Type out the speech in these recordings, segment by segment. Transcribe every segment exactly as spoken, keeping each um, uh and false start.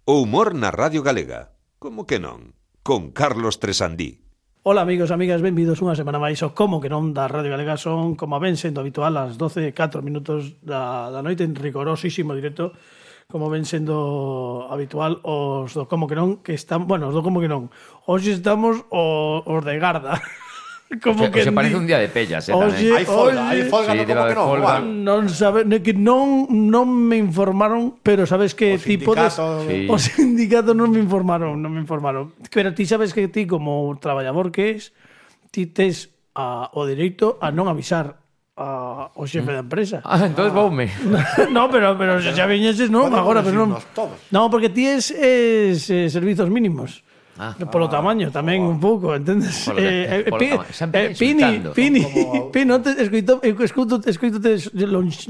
O humor na Radio Galega. Como que non? Con Carlos Tresandí. Ola amigos, amigas, benvidos unha semana máis ao Como que non da Radio Galega. Son, como ven sendo habitual, as doce e catro minutos da, da noite en rigorosísimo directo, como ven sendo habitual os do Como que non, que están, bueno, os do Como que non. Hoxe estamos os, os de Garda. Como que se parece un día de pellas, eh, oxe, hai folga, hai folga, sí, no como que non, folga. Non sabe, que non non me informaron, pero sabes que O ti podes, sindicato, sí. o sindicato non me informaron, non me informaron. Pero ti sabes que ti como traballador que es, ti tes a, o dereito a non avisar a, o xefe da empresa. Ah, entonces voume. No, pero pero se xa viñeses non, Podemos agora pero non. decirnos todos. No, porque ti es, es eh, servizos mínimos. Ah. Polo tamaño tamén un pouco, entendes? Polo ta- polo pi, tamaño. Sempre eh, Pini, insultando. Pini, Como- Pini, non te escoito, escoito, escoito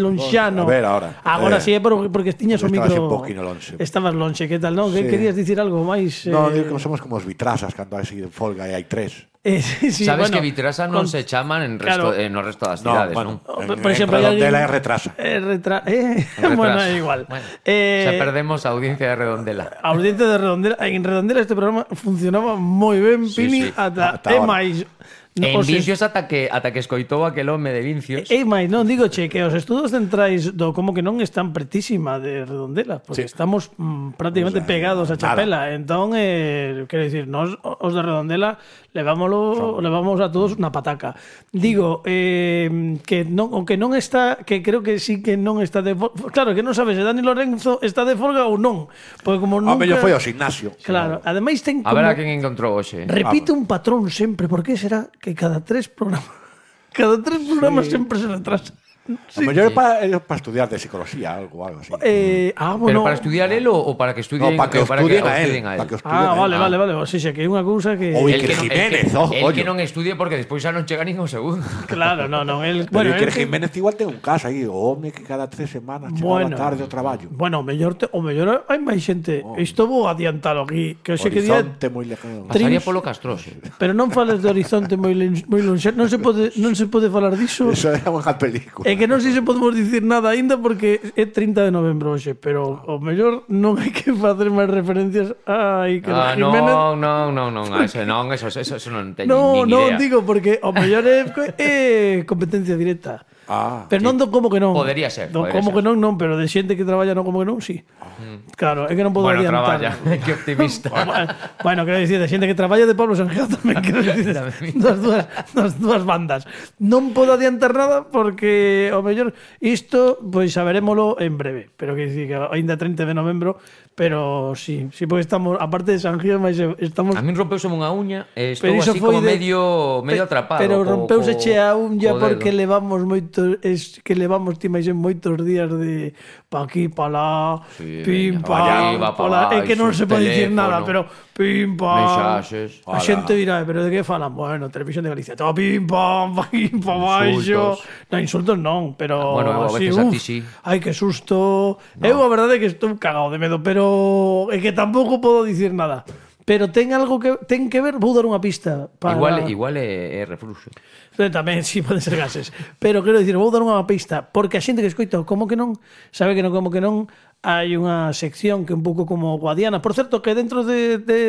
lonxano. A ver, ahora. Agora Eh, sí, é por- porque tiñas o estabas micro. un poquinho lonxe. Estabas lonxe, que tal, non? Que Sí. querías dicir algo máis? No, eh, digo que somos como os vitrasas cando hai así de folga e hai tres. eh, sí, sí, Sabes bueno, que Vitrasa non con- se chaman en resto, Claro. en o resto das No, cidades, bueno, non? en, Por exemplo, en hai Redondela alguén- é retrasa. Eh, retra... eh, En bueno, retraso. é igual. Bueno, eh, xa perdemos a audiencia de Redondela. A audiencia de Redondela, en Redondela este programa funcionaba moi ben, Sí, Pini, sí. ata, Ata é ahora. máis. En os est- Vincios ata que ata que escoitou aquel home de Vincios. E máis, non digo che que os estudos centrais do Como que non están pretísima de Redondela, porque Sí. estamos mm, prácticamente O sea, pegados a nada. Chapela. Entón, eh, quero dicir, nós os de Redondela levámoslo, levamos a todos na pataca. Digo, eh, que non, o que non está, que creo que sí que non está de folga. Claro, que non sabes se Dani Lorenzo está de folga ou non. Porque como A nunca... mellor foi ao gimnasio. Claro, ademais ten A como... ver a quen encontrou hoxe. Repite un patrón sempre, por que será que cada tres programas cada tres programas sí. sempre se retrasa? A mellor é para, é para estudiar de psicología, algo, algo así. Eh, ah, Pero bueno. para estudiar el ou para que estudien, No, para que o para estudien o a él, estudien a él? para que o estudien Ah, a él. vale, vale, vale. O sea, que é unha cousa que O El Iker que non- Jiménez, el que, oh, el coño. que non estudie porque despois xa non chega nin o segundo. claro, no, no, el Pero bueno, Iker el que- Jiménez igual ten un caso aí, o home que cada tres semanas Bueno. chegaba tarde ao traballo. Bueno, o mellor te, o mellor hai máis xente. Oh. Isto vou adiantalo aquí, que hoxe que día, Horizonte moi lejano. Tri- Pasaría polo Castroxe. pero non fales de horizonte moi len- moi lonxe, non se pode non se pode falar diso. Eso é unha película. É que non sei se podemos dicir nada aínda porque é trinta de novembro hoxe, pero o mellor non hai que facer máis referencias a Iker Ah, Jiménez. non, non, non, non, a eso non, eso, eso, eso non teño No, nin non idea. digo porque o mellor é, é competencia directa. Ah, Pero non do como que non. Podería ser, Do podería como ser. que non, non, pero de xente que traballa no como que non, sí. Claro, é que non podo Bueno, adiantar. traballa, que optimista. Bueno, quero dicir, de xente que traballa de Pablo Sanjeo tamén, quero dicir, das dúas, das dúas bandas. Non podo adiantar nada porque o mellor isto, pois saberémolo en breve, pero que dicir que aínda trinta de novembro, pero sí, sí, porque estamos, aparte de Sanjeo, máis estamos A min rompeuse unha uña e estou Pero iso así foi como de- medio medio Pe- atrapado. Pero co- rompeuse co- che a unha co porque dedo. levamos moito es que levamos ti máis en moitos días de pa aquí, pa lá, Sí, pim, veña, pa, pa arriba, pa pa é que non baixo, se pode dicir teléfono, nada, pero pim, pam. mensaxes. A xente dirá, pero de que falan? Bueno, Televisión de Galicia, todo pim, pam, pa aquí, pa baixo. Insultos. Non, insultos non, pero Bueno, eu a así, veces a uf, ti sí. Ai, que susto. Eu a verdade é que estou cagado de medo, pero é que tampouco podo dicir nada. Pero ten algo que ten que ver, vou dar unha pista para Igual, igual é, é refluxo. Pero tamén, sí, poden ser gases. Pero quero dicir, vou dar unha pista, porque a xente que escoita o Como que non, sabe que non Como que non, hai unha sección que é un pouco como Guadiana. Por certo, que dentro de, de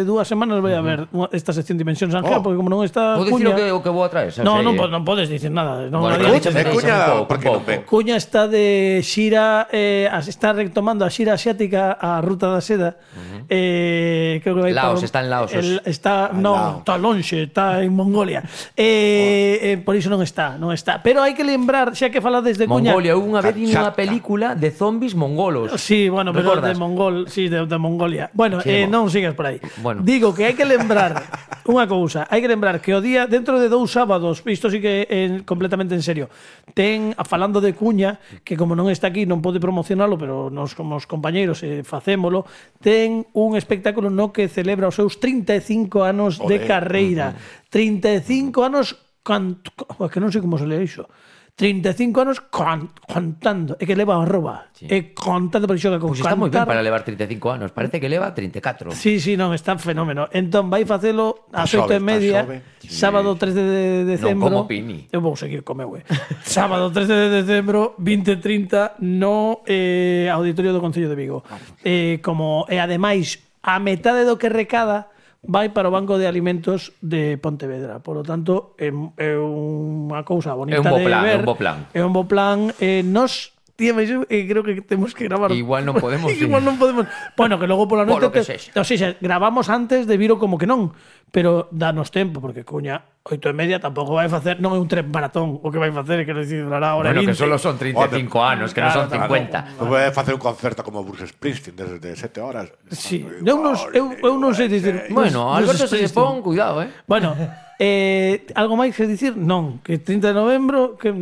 dúas semanas vai haber unha- esta sección Dimensión Sanjeo, Oh. porque como non está Vou dicir o Cuña... que, o que vou a traer, xa No, sei, non, eh. po- non podes dicir nada. Non, Bueno, nadie- pero de díxeme, Cuña, díxeme un pouco, por que un non pouco. ven? Cuña está de xira, eh, as- está retomando a xira asiática a Ruta da Seda. Uh-huh. eh, creo que vai Laos, para- está en Laos, el, hoxe. está, Ah, non, Laos. está lonxe, está en Mongolia. Eh, oh. eh, por iso non está, non está. Pero hai que lembrar, xa que falades de Cuña. Mongolia, eu unha vez vi unha Kamchatka. película de zombies mongolos. Sí, bueno, pero Recordas? de Mongol, sí, de, de Mongolia. Bueno, Sí, eh, bo. non sigas por aí. Bueno. Digo que hai que lembrar unha cousa, hai que lembrar que o día dentro de dous sábados, isto sí que é completamente en serio. Ten a falando de Cuña, que como non está aquí non pode promocionalo, pero nos como os compañeiros eh, facémolo, ten un espectáculo no que celebra os seus trinta e cinco anos de Olé. carreira. trinta e cinco anos can... que non sei como se lee iso. trinta e cinco anos con, contando, e que leva a arroba, Sí. e contando por xoga con Pois está moi ben cantar. para levar trinta e cinco anos. Parece que leva trinta e catro. Sí, sí, non, está fenómeno. Entón, vai facelo ás Está oito e xove, media, está xove. sábado tres de decembro. Non como Pini. Eu vou seguir co meu, eh. Sábado tres de decembro, vinte e trinta, no eh, Auditorio do Concello de Vigo. Eh, como, e ademais, a metade do que recada vai para o Banco de Alimentos de Pontevedra. Por lo tanto, é, é unha cousa bonita É un bo de plan, ver. é un bo plan. É un bo plan. Eh, nos Tía, mas eu eh, creo que temos que gravar. Igual non podemos ir. Igual non podemos. Bueno, que logo pola noite Polo que te- sexa. o sea, gravamos antes de viro como que non, pero danos tempo porque cuña oito e media tampouco vai facer, non é un tren maratón o que vai facer, quero dicir, durará hora Bueno, e que vinte. solo son trinta e cinco anos, que non son Claro, cincuenta. Non vai facer un concerto como Bruce Springsteen desde de sete horas. Sí, eu non, eu, eu non sei dicir. Bueno, non- non Alberto se Springsteen. pon, cuidado, eh. Bueno, eh, algo máis que dicir? Non, que trinta de novembro que,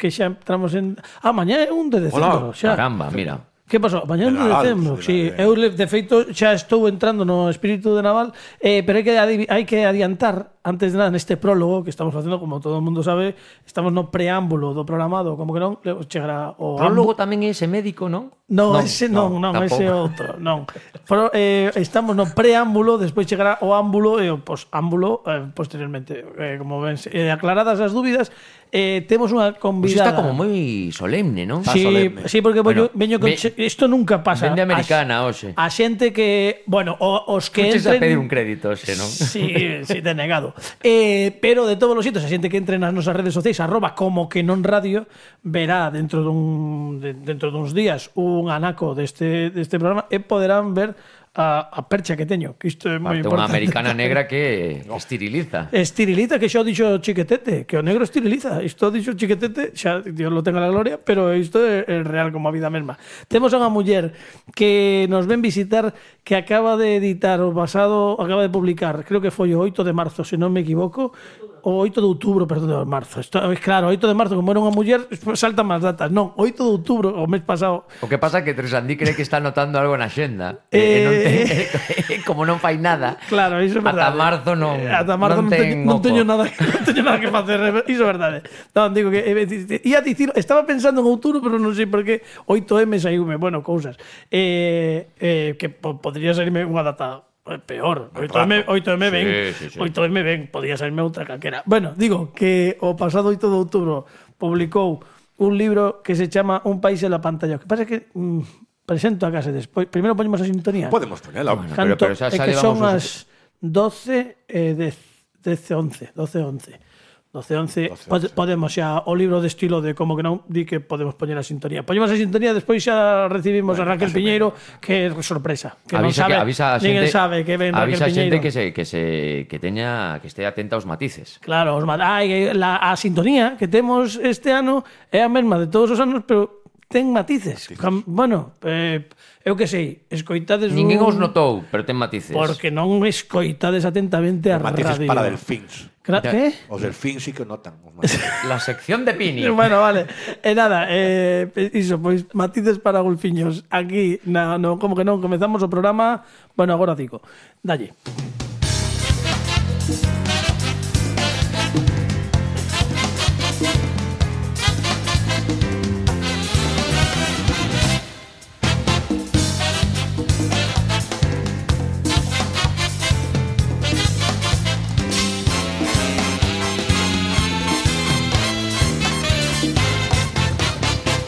que xa entramos en... Ah, mañá é un de decembro, Hola. xa. Caramba, mira. Que pasou? Mañá é un de Nadal, decembro. sí, Sí, Nadal. eu de feito xa estou entrando no espírito de Naval, eh, pero hai que, adiv- hai que adiantar antes de nada neste prólogo que estamos facendo, como todo o mundo sabe, estamos no preámbulo do programado, como que non, le- chegará o Prólogo tamén é ese médico, non? No, ese non, non, tampouco. ese outro, non. Pero, eh, estamos no preámbulo, despois chegará o ámbulo e o posámbulo eh, posteriormente. Eh, como ven, eh, aclaradas as dúbidas, eh, temos unha Pois convidada. está como moi solemne, non? Está Sí, solemne. sí, porque Bueno, veño, veño con ve- che- isto nunca pasa. Vende americana, A- hoxe. A xente que, bueno, o, os que Fuches entren a pedir un crédito, ese, non? Sí, sí, denegado. Eh, pero de todos os sitios, a xente que entre nas nosas redes sociais, arroba como que non radio, verá dentro dun de, dentro duns días un anaco deste deste programa e poderán ver a, a percha que teño, que isto é moi Parte unha importante. americana negra que esteriliza. Estiriliza, que xa o dixo Chiquetete, que o negro estiriliza. Isto o dixo Chiquetete, xa Dios lo tenga la gloria, pero isto é, é real como a vida mesma. Temos a unha muller que nos ven visitar, que acaba de editar o pasado, acaba de publicar, creo que foi o oito de marzo, se non me equivoco, o oito de outubro, perdón, de marzo. Isto, claro, oito de marzo, como era unha muller, saltan máis datas. Non, oito de outubro, o mes pasado. O que pasa é que Tresandí cree que está anotando algo na xenda. E, e non ten, como non fai nada. Claro, iso é verdade. Ata marzo non, Eh, Ata marzo non, non ten teño, non oco. teño nada, non teño nada que facer, iso é verdade. Non, digo que eh, ia dicir, estaba pensando en outubro, pero non sei por que oito eme saiume, bueno, cousas. Eh, eh, que po, podría salirme unha data eh, peor. oito eme, oito eme ben. Sí, sí, sí. oito eme ben, podía salirme outra calquera. Bueno, digo que o pasado oito de outubro publicou un libro que se chama Un país en la pantalla. O que pasa é que mm, presento a casa despois. Primeiro poñemos a sintonía. Podemos poñela. Bueno, Canto, pero, pero xa, é xa que son levamos as os- doce e dez, doce, once, doce, once. doce, once, doce, pode, once. podemos xa o libro de estilo de como que non di que podemos poñer a sintonía. Poñemos a sintonía, despois xa recibimos Bueno, a Raquel case Piñeiro, que é sorpresa, que non avisa sabe, que avisa a ninguén xente, sabe que ven Raquel avisa a Piñeiro. xente que se que se que teña que estea atenta aos matices. Claro, os ma- ai, la, a sintonía que temos este ano é a mesma de todos os anos, pero ten matices. Cam- Bueno, eh, eu que sei, escoitades Ninguén un... os notou, pero ten matices. Porque non escoitades atentamente a Matices radio. para delfins. Cra- Ya. ¿Qué? Os delfins sí que notan. Os matices. La sección de Pini. Bueno, vale. E nada, eh, iso, pois matices para golfiños. Aquí, na, no, como que non, comezamos o programa. Bueno, agora digo. Dalle.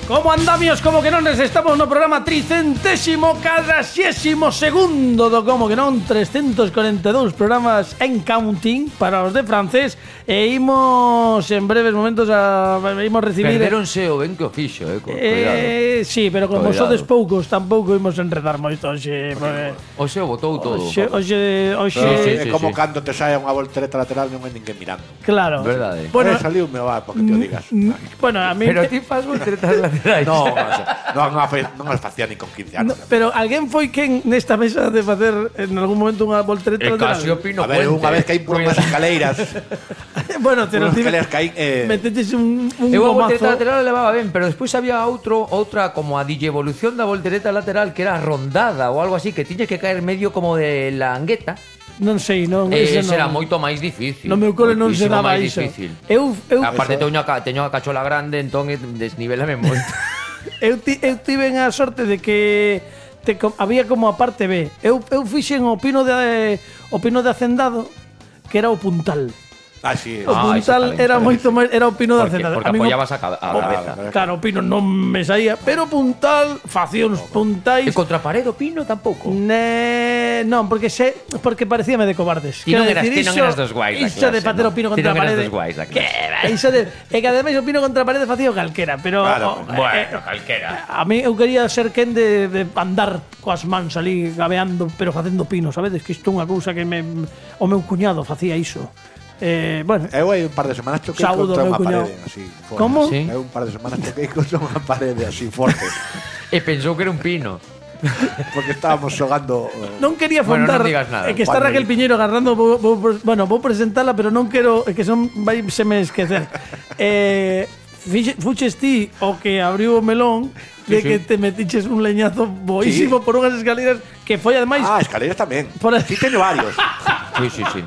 Como andamios, como que non, estamos no programa tricentésimo cuadragésimo segundo do como que non, trescentos corenta e dous programas en counting para os de francés, e imos en breves momentos a imos recibir Perderonse o ben que o fixo, eh, co- cuidado. eh, sí, pero como Cuidado. sodes poucos tampouco imos enredar moito hoxe, porque O se o botou todo. hoxe hoxe hoxe Pero sí, é sí, como sí. cando te saia unha voltereta lateral non hai ninguén mirando. claro. Verdade. Bueno, eh, saliu me va, porque te o digas. mm, bueno, a mí Pero ti fas volteretas laterais. No, non, non, fa- non as facía ni con quince No, anos. pero alguén foi quen nesta mesa de facer en algún momento unha voltereta E lateral? casi o Pino A ver, Puente. unha vez que hai por unhas escaleiras, Bueno, te unhas lo escaleiras que hai, eh, meteches un, un Eu a gomazo. voltereta lateral a levaba ben, pero despois había outro, outra como a digievolución da voltereta lateral que era rondada ou algo así, que tiñes que caer medio como de la angueta non sei, non, Eh, ese ese era non. moito máis difícil. No meu cole non se Moitísimo daba máis iso. difícil. Eu, eu, Aparte teño a, ca- teño a cachola grande, entón eh, desnivelame moito. eu, ti, eu tive a sorte de que te, co- había como a parte B. Eu, eu fixen o pino de o pino de Hacendado, que era o puntal. Ah, sí. O Ah, ese puntal tamén, era tamén, moito sí. máis, era o pino de Porque, Hacendado. porque A min o- apoyabas a, ca- a o- cabeza. Claro, o pino non me saía, pero o puntal facía uns puntais. E contra pared o pino tampouco. Ne... Non, porque se porque parecíame de cobardes. Ti non Quero eras- dicir, ti non iso- eras dos guais da iso de clase, facer non? o pino Ti contra a non eras parede. dos guais da Que clase. va, iso de e que ademais o pino contra a parede facía o calquera, pero Claro, o- Bueno, eh, calquera. a mí eu quería ser quen de, de andar coas mans ali gabeando, pero facendo pino, sabedes? Que isto é unha cousa que me o meu cuñado facía iso. Eh, bueno, Eu hai un par de semanas choquei Saúdo, contra meu unha cuñado. parede así. forte. Como? Sí. Eu un par de semanas choquei contra unha parede así forte. E pensou que era un pino. Porque estábamos xogando... eh, non quería Bueno, fondar. non digas nada. É que está Juan Raquel Luis. Piñeiro agarrando, vou, vou, bueno, vou presentala, pero non quero, é que son vai se me esquecer. eh, fixe, fuches ti o que abriu o melón de Sí, sí. que te metiches un leñazo boísimo Sí. por unhas escaleras que foi ademais Ah, escaleras tamén. Por aí. Sí, teño varios. Sí, sí, sí.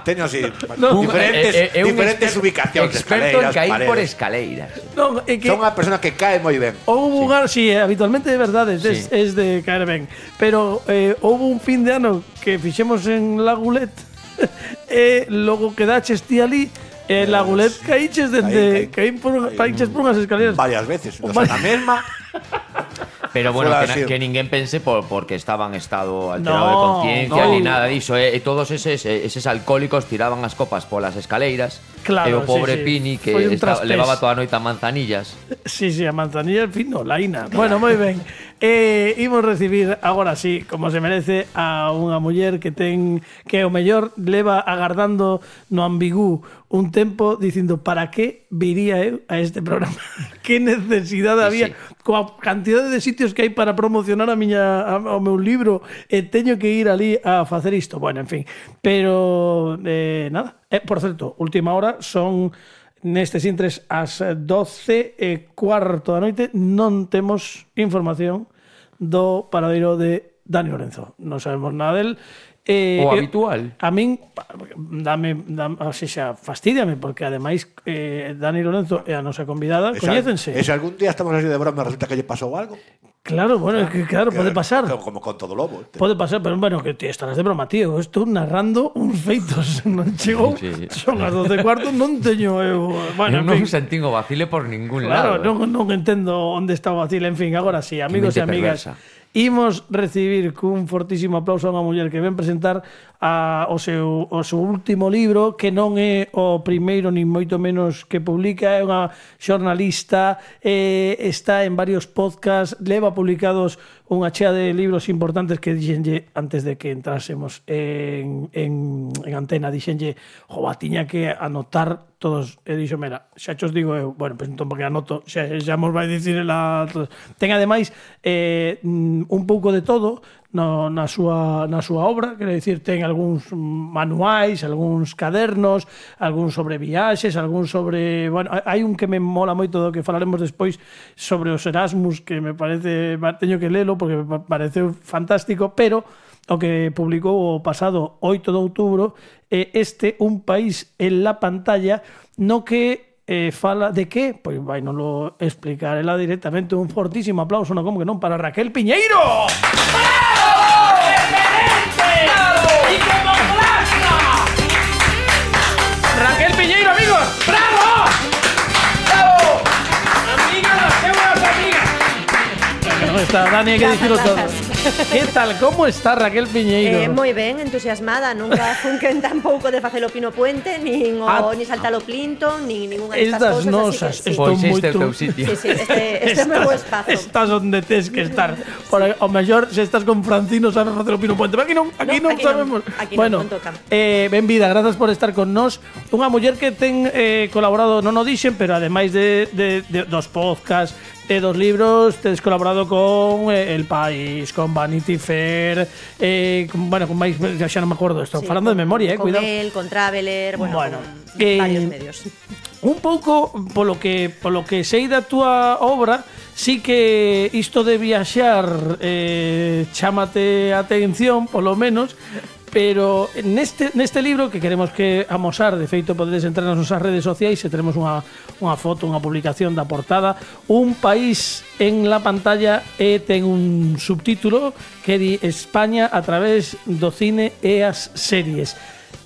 Teño así No. diferentes, Eh, eh, é un diferentes exper- ubicacións de experto en escaleras, caer por paredes. escaleiras. non, é que Son unha persona que cae moi ben. houve un ano, sí, habitualmente é verdade, es, Sí. es de caer ben, pero eh, houve un fin de ano que fixemos en Lagulet e logo quedaches ti ali e Lagulet caíches dende caí, caí por, caí. caíches por unhas escaleras. Varias veces. O Vale. sea, na mesma. Pero bueno, Fuera que, así. na- que ninguén pense por, porque estaba en estado alterado No, de conciencia no. ni nada diso. E, e todos eses, eses alcohólicos tiraban as copas polas escaleiras. Claro, e o pobre sí, sí. Pini que Foi un estaba, traspés. levaba toda a noite a manzanillas. Sí, sí, a manzanilla, en fin, no, laína. Bueno, moi ben. Eh, imos recibir agora sí, como se merece, a unha muller que ten que o mellor leva agardando no ambigú un tempo dicindo para que viría eu a este programa. Que necesidade Sí, había sí. coa cantidade de sitios que hai para promocionar a miña a, o meu libro e teño que ir ali a facer isto. Bueno, en fin, pero eh, nada. Eh, por certo, última hora son nestes intres ás doce e cuarto da noite, non temos información do paradeiro de Dani Lorenzo. Non sabemos nada del. Eh, O eu- habitual. A min dame, dame así xa, fastídiame porque ademais eh, Dani Lorenzo e a nosa convidada E se- coñécense. E se algún día estamos así de broma e resulta que lle pasou algo. Claro, bueno, é que claro, que- pode pasar. Como, como con todo lobo. este. Pode pasar, pero bueno, que ti estarás de broma, tío. Eu estou narrando uns feitos. Non chegou, Sí. son as doce e cuarto, non teño eu... Bueno, Eu en non fin. sentín o vacile por ningún Claro, lado. non, non entendo onde está o vacile. En fin, agora sí, amigos e mente amigas, perversa. imos recibir cun fortísimo aplauso a unha muller que ven presentar a, o, seu, o seu último libro, que non é o primeiro nin moito menos que publica, é unha xornalista, eh, está en varios podcasts, leva publicados unha chea de libros importantes que dixenlle antes de que entrásemos en, en, en antena, dixenlle, jova, tiña que anotar todos, e dixo, mira, xa xos digo eu, bueno, pues entón porque anoto, xa, xa mos vai dicir ela, ten ademais eh, un pouco de todo no, na, súa, na súa obra, quero dicir, ten algúns manuais, algúns cadernos, algúns sobre viaxes, algúns sobre, bueno, hai un que me mola moito do que falaremos despois sobre os Erasmus, que me parece, teño que lelo porque me pareceu fantástico, pero o que publicou o pasado oito de outubro é este Un país en la pantalla, no que eh, fala de que, pois vai non lo explicar ela directamente. Un fortísimo aplauso, non como que non, para Raquel Piñeiro. ¡Bravo! ¡Excelente! ¡Bravo! ¡Y como plasma! Raquel Piñeiro, amigos, bravo! Bravo! Amigas, las seuras amigas. No está, Dani, hai que dicirlo todo. Que tal, como está Raquel Piñeiro? Eh, moi ben, entusiasmada, nunca funquen tampouco de facelo Pino Puente, nin o Ah. ni saltalo Plinton, nin ninguna destas Estas cousas, nosas, así que sí. estou Pois este é o moito- teu sitio. Sí, sí, este, este é o meu espazo. Estás onde tes que estar. Por o mellor, se estás con Francino, sabes facer o Pino Puente. Pero aquí non, aquí No, non aquí non, sabemos. aquí non, bueno, non toca. eh, ben vida, grazas por estar con nós. Unha muller que ten eh, colaborado, non o dixen, pero ademais de, de, de dos podcasts, e dos libros, tes colaborado con eh, El País, con Vanity Fair, eh, con, bueno, con máis, xa non me acordo, estou Sí, falando con- de memoria, eh, con cuidado. Él, con Traveler, bueno, Bueno, con eh, varios medios. Un pouco polo que polo que sei da túa obra, sí que isto de viaxar eh, chámate a atención, polo menos, pero neste, neste libro que queremos que amosar, de feito podedes entrar nas nosas redes sociais e teremos unha, unha foto, unha publicación da portada, un país en la pantalla e ten un subtítulo que di España a través do cine e as series.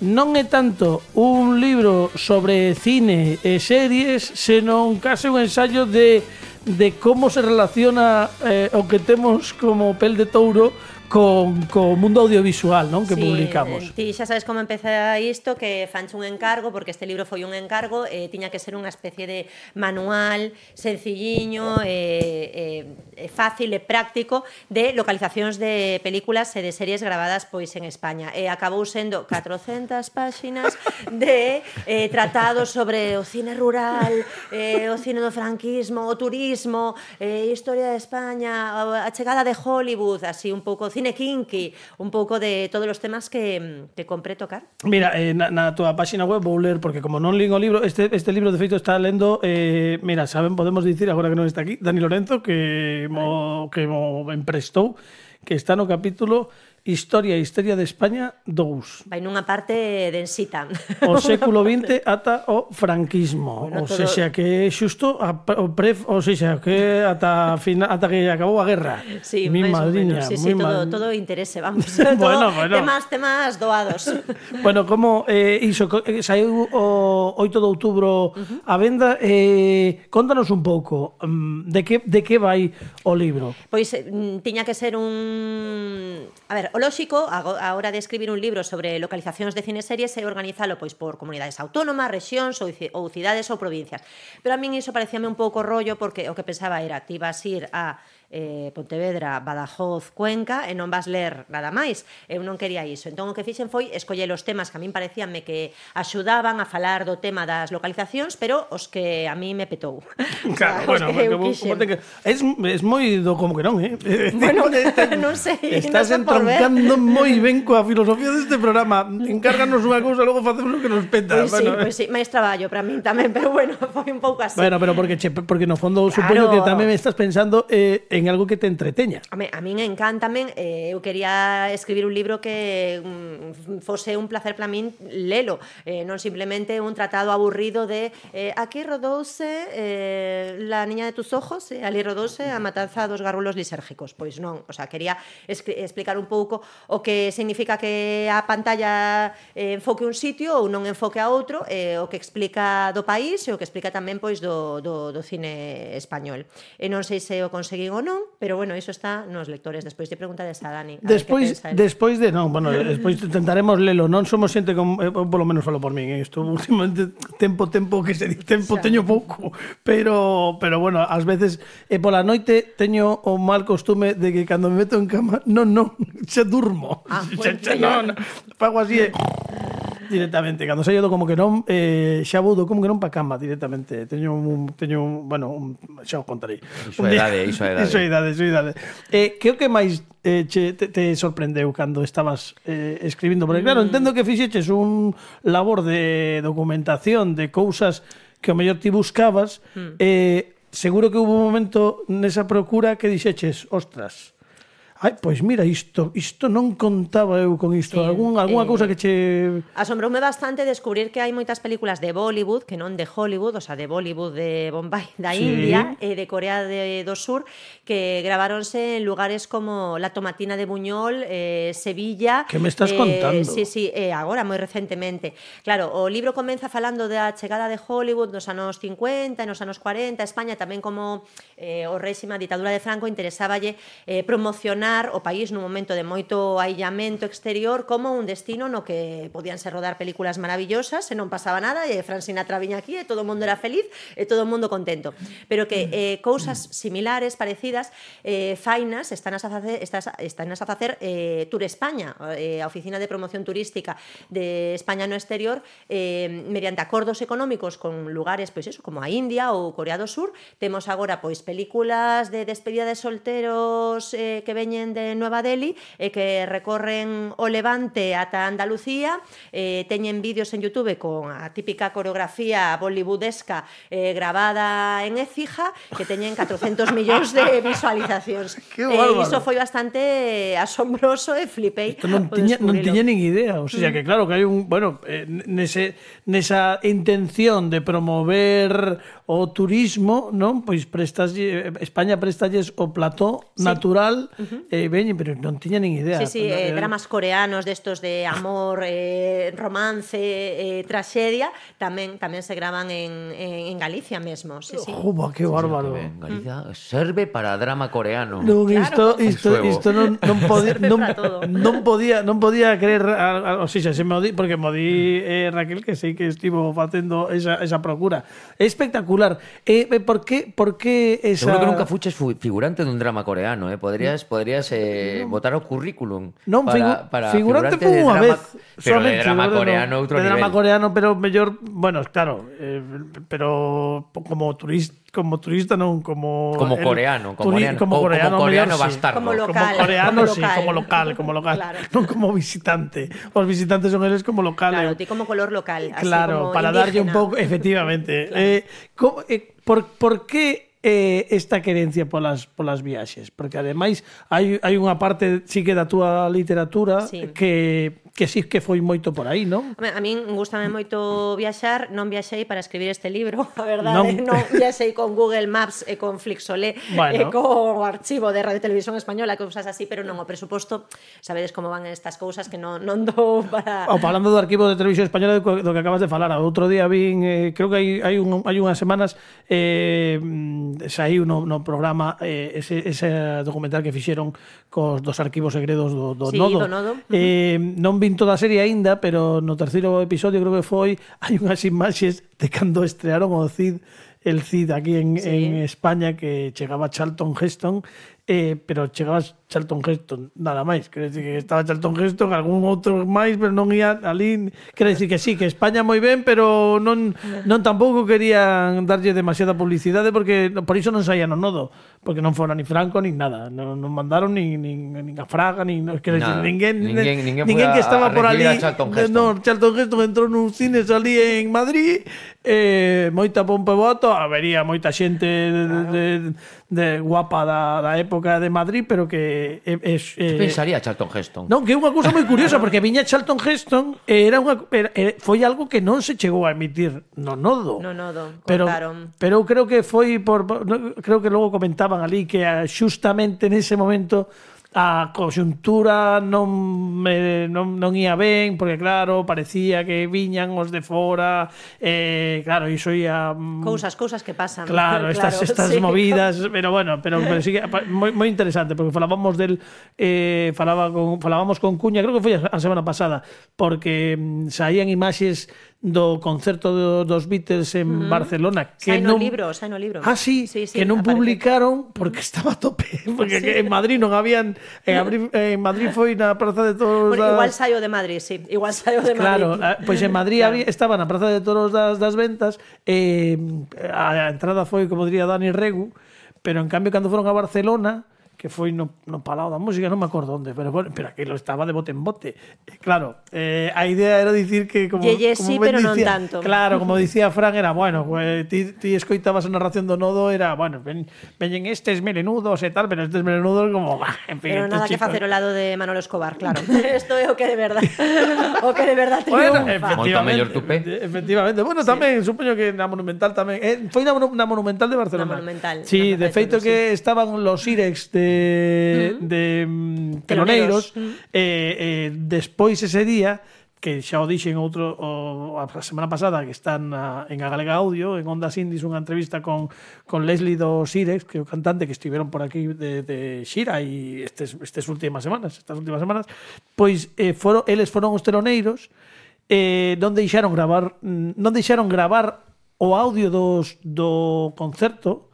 Non é tanto un libro sobre cine e series, senón case un ensayo de, de como se relaciona eh, o que temos como pel de touro con, co mundo audiovisual, non? Que sí, publicamos. Ti xa sabes como empeza isto, que fanche un encargo, porque este libro foi un encargo, e eh, tiña que ser unha especie de manual sencilliño, e eh, eh, fácil e práctico de localizacións de películas e de series gravadas pois en España. E acabou sendo catrocentas páxinas de eh, tratados sobre o cine rural, eh, o cine do franquismo, o turismo, eh, historia de España, a chegada de Hollywood, así un pouco cine kinky, un pouco de todos os temas que, que compré tocar. Mira, eh, na, na tua página web vou ler, porque como non lín o libro, este, este libro de feito está lendo, eh, mira, saben, podemos dicir, agora que non está aquí, Dani Lorenzo, que mo, que mo emprestou, que está no capítulo Historia e Histeria de España dous. Vai nunha parte densita. O século vinte ata o franquismo. Bueno, o todo... sexa que xusto a, o pre, o sexa que ata final, ata que acabou a guerra. Sí, mi madriña, sí, sí, todo, mal... todo interese, vamos. bueno, todo bueno. Temas, temas doados. Bueno, como eh, iso, saiu o oito de outubro uh-huh. a venda, eh, contanos un pouco um, de que de que vai o libro. Pois eh, tiña que ser un... A ver, o lóxico, a hora de escribir un libro sobre localizacións de cineseries é organizalo pois por comunidades autónomas, rexións ou, ou cidades ou provincias. Pero a min iso parecíame un pouco rollo, porque o que pensaba era ti vas ir a eh, Pontevedra, Badajoz, Cuenca e non vas ler nada máis. Eu non quería iso. Entón o que fixen foi escoller os temas que a min parecíanme que axudaban a falar do tema das localizacións, pero os que a mí me petou. Claro, bueno, que como, como te... es, es moi do como que non, eh? Bueno, non sei. Estás no entroncando moi ben coa filosofía deste programa. Encárganos unha cousa, logo facemos o que nos peta. Pois sí, bueno, pois sí, máis traballo para min tamén, pero bueno, foi un pouco así. Bueno, pero porque, che, porque no fondo claro. supoño que tamén me estás pensando eh, en algo que te entreteña. A, me, a min encántame, eh, eu quería escribir un libro que mm, fose un placer para min lelo, eh, non simplemente un tratado aburrido de eh, aquí rodouse eh, La niña de tus ojos e ali rodouse A matanza dos garrulos lisérgicos. Pois non, o sea, quería explicar un pouco o que significa que a pantalla eh, enfoque un sitio ou non enfoque a outro, eh, o que explica do país e o que explica tamén pois do, do, do cine español. E non sei se o conseguín ou non, pero bueno, iso está nos lectores. Despois de preguntades a Dani. A despois, despois de, non, bueno, despois intentaremos lelo. Non somos xente con, eh, polo menos falo por min, isto últimamente tempo, tempo que se di, tempo teño pouco, pero pero bueno, ás veces e eh, pola noite teño o mal costume de que cando me meto en cama, non, non, xa durmo. Ah, xa, xa, non, fago así e directamente, cando saio do como que non, eh, xa vou do como que non pa cama directamente. Teño un, teño un, bueno, un, xa o contarei. Iso é idade, iso é idade. Iso é idade, iso é idade. Eh, que o que máis eh, che, te, te sorprendeu cando estabas eh, escribindo? Porque claro, entendo que fixeches un labor de documentación de cousas que o mellor ti buscabas, mm. eh, seguro que hubo un momento nesa procura que dixeches, ostras, ai, pois mira, isto isto non contaba eu con isto. Sí, Algún, alguna eh, cousa que che... Asombroume bastante descubrir que hai moitas películas de Bollywood, que non de Hollywood, o sea, de Bollywood de Bombay, da sí. India, e de Corea de, do Sur, que graváronse en lugares como La Tomatina de Buñol, eh, Sevilla... Que me estás eh, contando? Sí, sí, eh, agora, moi recentemente. Claro, o libro comeza falando da chegada de Hollywood nos anos cincuenta, nos anos cuarenta, España tamén como eh, o réxime, a ditadura de Franco, interesáballe eh, promocionar o país nun momento de moito aillamento exterior como un destino no que podían ser rodar películas maravillosas e non pasaba nada e Frank Sinatra viña aquí e todo o mundo era feliz e todo o mundo contento, pero que eh, cousas similares, parecidas, eh, fainas están a facer, están a facer eh, Tour España, eh, a Oficina de Promoción Turística de España no exterior, eh, mediante acordos económicos con lugares pois eso, como a India ou Corea do Sur. Temos agora pois películas de despedida de solteros eh, que veñen veñen de Nueva Delhi e que recorren o Levante ata Andalucía, eh, teñen vídeos en YouTube con a típica coreografía bollywoodesca eh, grabada en Écija, que teñen catrocentos millóns de visualizacións. Qué E bárbaro. iso foi bastante asombroso e flipei. Isto non ao tiña, non descubrilo. tiña nin idea. O sea, que claro, que hai un... Bueno, eh, nese, nesa intención de promover o turismo, non? Pois prestas, España prestalles o plató Sí. natural, uh-huh. eh, veñe, pero non tiña nin idea. Sí, sí, eh, dramas coreanos destos de amor, eh, romance, eh, traxedia, tamén tamén se graban en, en, en Galicia mesmo, sí, sí. Juba, que bárbaro. Ben, Galicia serve para drama coreano. Non, isto, Claro. isto, Suevo. isto non, non podía Serve non, para todo. non podía non podía creer, a, a, o sea, se me di, porque me di eh, Raquel que sei que estivo facendo esa, esa procura. É espectacular. Eh, eh, por que por que esa Seguro que nunca fuches fu- figurante dun drama coreano, eh? Podrías, podrías eh, botar o currículum Non, para, figu para figurante figurante foi de unha drama, vez. pero de solamente, drama figurante coreano non. outro de nivel. drama coreano, pero mellor, bueno, claro, eh, pero como turista, como turista non como Como el coreano, como turi- coreano, como o como coreano, coreano mellor, sí. bastardo. Como local. Como coreano, como sí, local. como local, como local, Claro. non como visitante. Os visitantes son eles como local. Claro, eh. ti como color local, así Claro, como para darlle un indígena. pouco, efectivamente. eh, como, eh, por, por que eh, esta querencia polas polas viaxes? Porque ademais hai hai unha parte sí que da túa literatura Sí. que que sí que foi moito por aí, non? Home, a min gustame moito viaxar, non viaxei para escribir este libro, a verdade, Non. non, non viaxei con Google Maps e con Flixolé Bueno. e con o archivo de Radio Televisión Española, cousas así, pero non o presuposto, sabedes como van estas cousas que non, non dou para... O falando do arquivo de Televisión Española do que do que acabas de falar, outro día vin, eh, creo que hai hai un hai unhas semanas eh saiu no, no programa eh, ese ese documental que fixeron cos dos arquivos segredos do, do Sí, Nodo. do Nodo. Eh, non vin toda a serie aínda, pero no terceiro episodio creo que foi, hai unhas imaxes de cando estrearon o Cid, el Cid aquí en, Sí. en España, que chegaba Charlton Heston, eh, pero chegaba Charlton Heston nada máis, quero dicir que estaba Charlton Heston, algún outro máis, pero non ia ali, quero dicir que sí, que España moi ben, pero non non tampouco querían darlle demasiada publicidade, porque por iso non saía no Nodo, porque non fora ni Franco ni nada, non, non mandaron ni, ni, ni a Fraga, ni, no, quero dicir, Nada. ninguén, Ninguén- ninguén foi ninguén que a- estaba a por ali, recibir a Charlton Heston. no, Charlton Heston entrou nun cine ali en Madrid, eh, moita pompa e voto, habería moita xente de, de, de guapa da, da época de Madrid, pero que é, é, Que é, pensaría Charlton Heston? non, que é unha cousa moi curiosa, porque viña Charlton Heston e era unha era, era, foi algo que non se chegou a emitir no Nodo. No Nodo, pero, contaron. pero eu creo que foi por, no, creo que logo comentaban ali que ah, xustamente nese momento a conxuntura non me, non, non ia ben, porque claro, parecía que viñan os de fora, eh, claro, iso ia mm, Cousas, cousas que pasan. Claro, estas, estas sí. movidas, pero bueno, pero, pero sí que pa- moi, moi interesante, porque falábamos del eh, falaba con, falábamos con Cuña, creo que foi a semana pasada, porque mm, saían imaxes do concerto do, dos Beatles en uh-huh. Barcelona, que Sai no non libro, sai no libro. Ah, sí, sí, sí, que non aparece. publicaron porque estaba a tope, porque Sí. que en Madrid non habían en, Abri- en Madrid foi na Praza de Toros Bueno, das... igual saio de Madrid, sí, igual saio de Claro, Madrid. a- pois en Madrid Claro. había, estaba na Praza de Toros das, das Ventas, eh, a entrada foi, como diría Dani Regu, pero en cambio cando foron a Barcelona, que foi no, no Palau da Música, non me acordo onde, pero, bueno, pero aquilo estaba de bote en bote. E, claro, eh, a idea era dicir que como, Ye, ye, como sí, ben pero non dicía, tanto. Claro, como dicía Fran, era, bueno, pues, ti, ti escoitabas a narración do Nodo, era, bueno, ven, veñen estes melenudos e tal, pero estes melenudos como, bah, en fin, Pero estes nada que chicos. facer ao lado de Manolo Escobar, claro. Isto é o que de verdade, o que de verdade Bueno, triunfa. Moito mellor tupé. efectivamente. Bueno, tamén, supoño que na Monumental tamén. Eh, foi na, Monu- na Monumental de Barcelona. Na Monumental, Sí, na de feito Monumental, que estaban los Irex de, de mm, Teloneiros. Teloneiros, eh, eh, despois ese día, que xa o dixen outro o, a semana pasada, que están na, en a Galega Audio, en Ondas Indies, unha entrevista con, con Leslie dos Irex, que é o cantante que estiveron por aquí de, de Xira e estes, estes últimas semanas, estas últimas semanas, pois eh, foron, eles foron os Teloneiros, eh, non deixaron gravar mm, non deixaron gravar o audio dos, do concerto.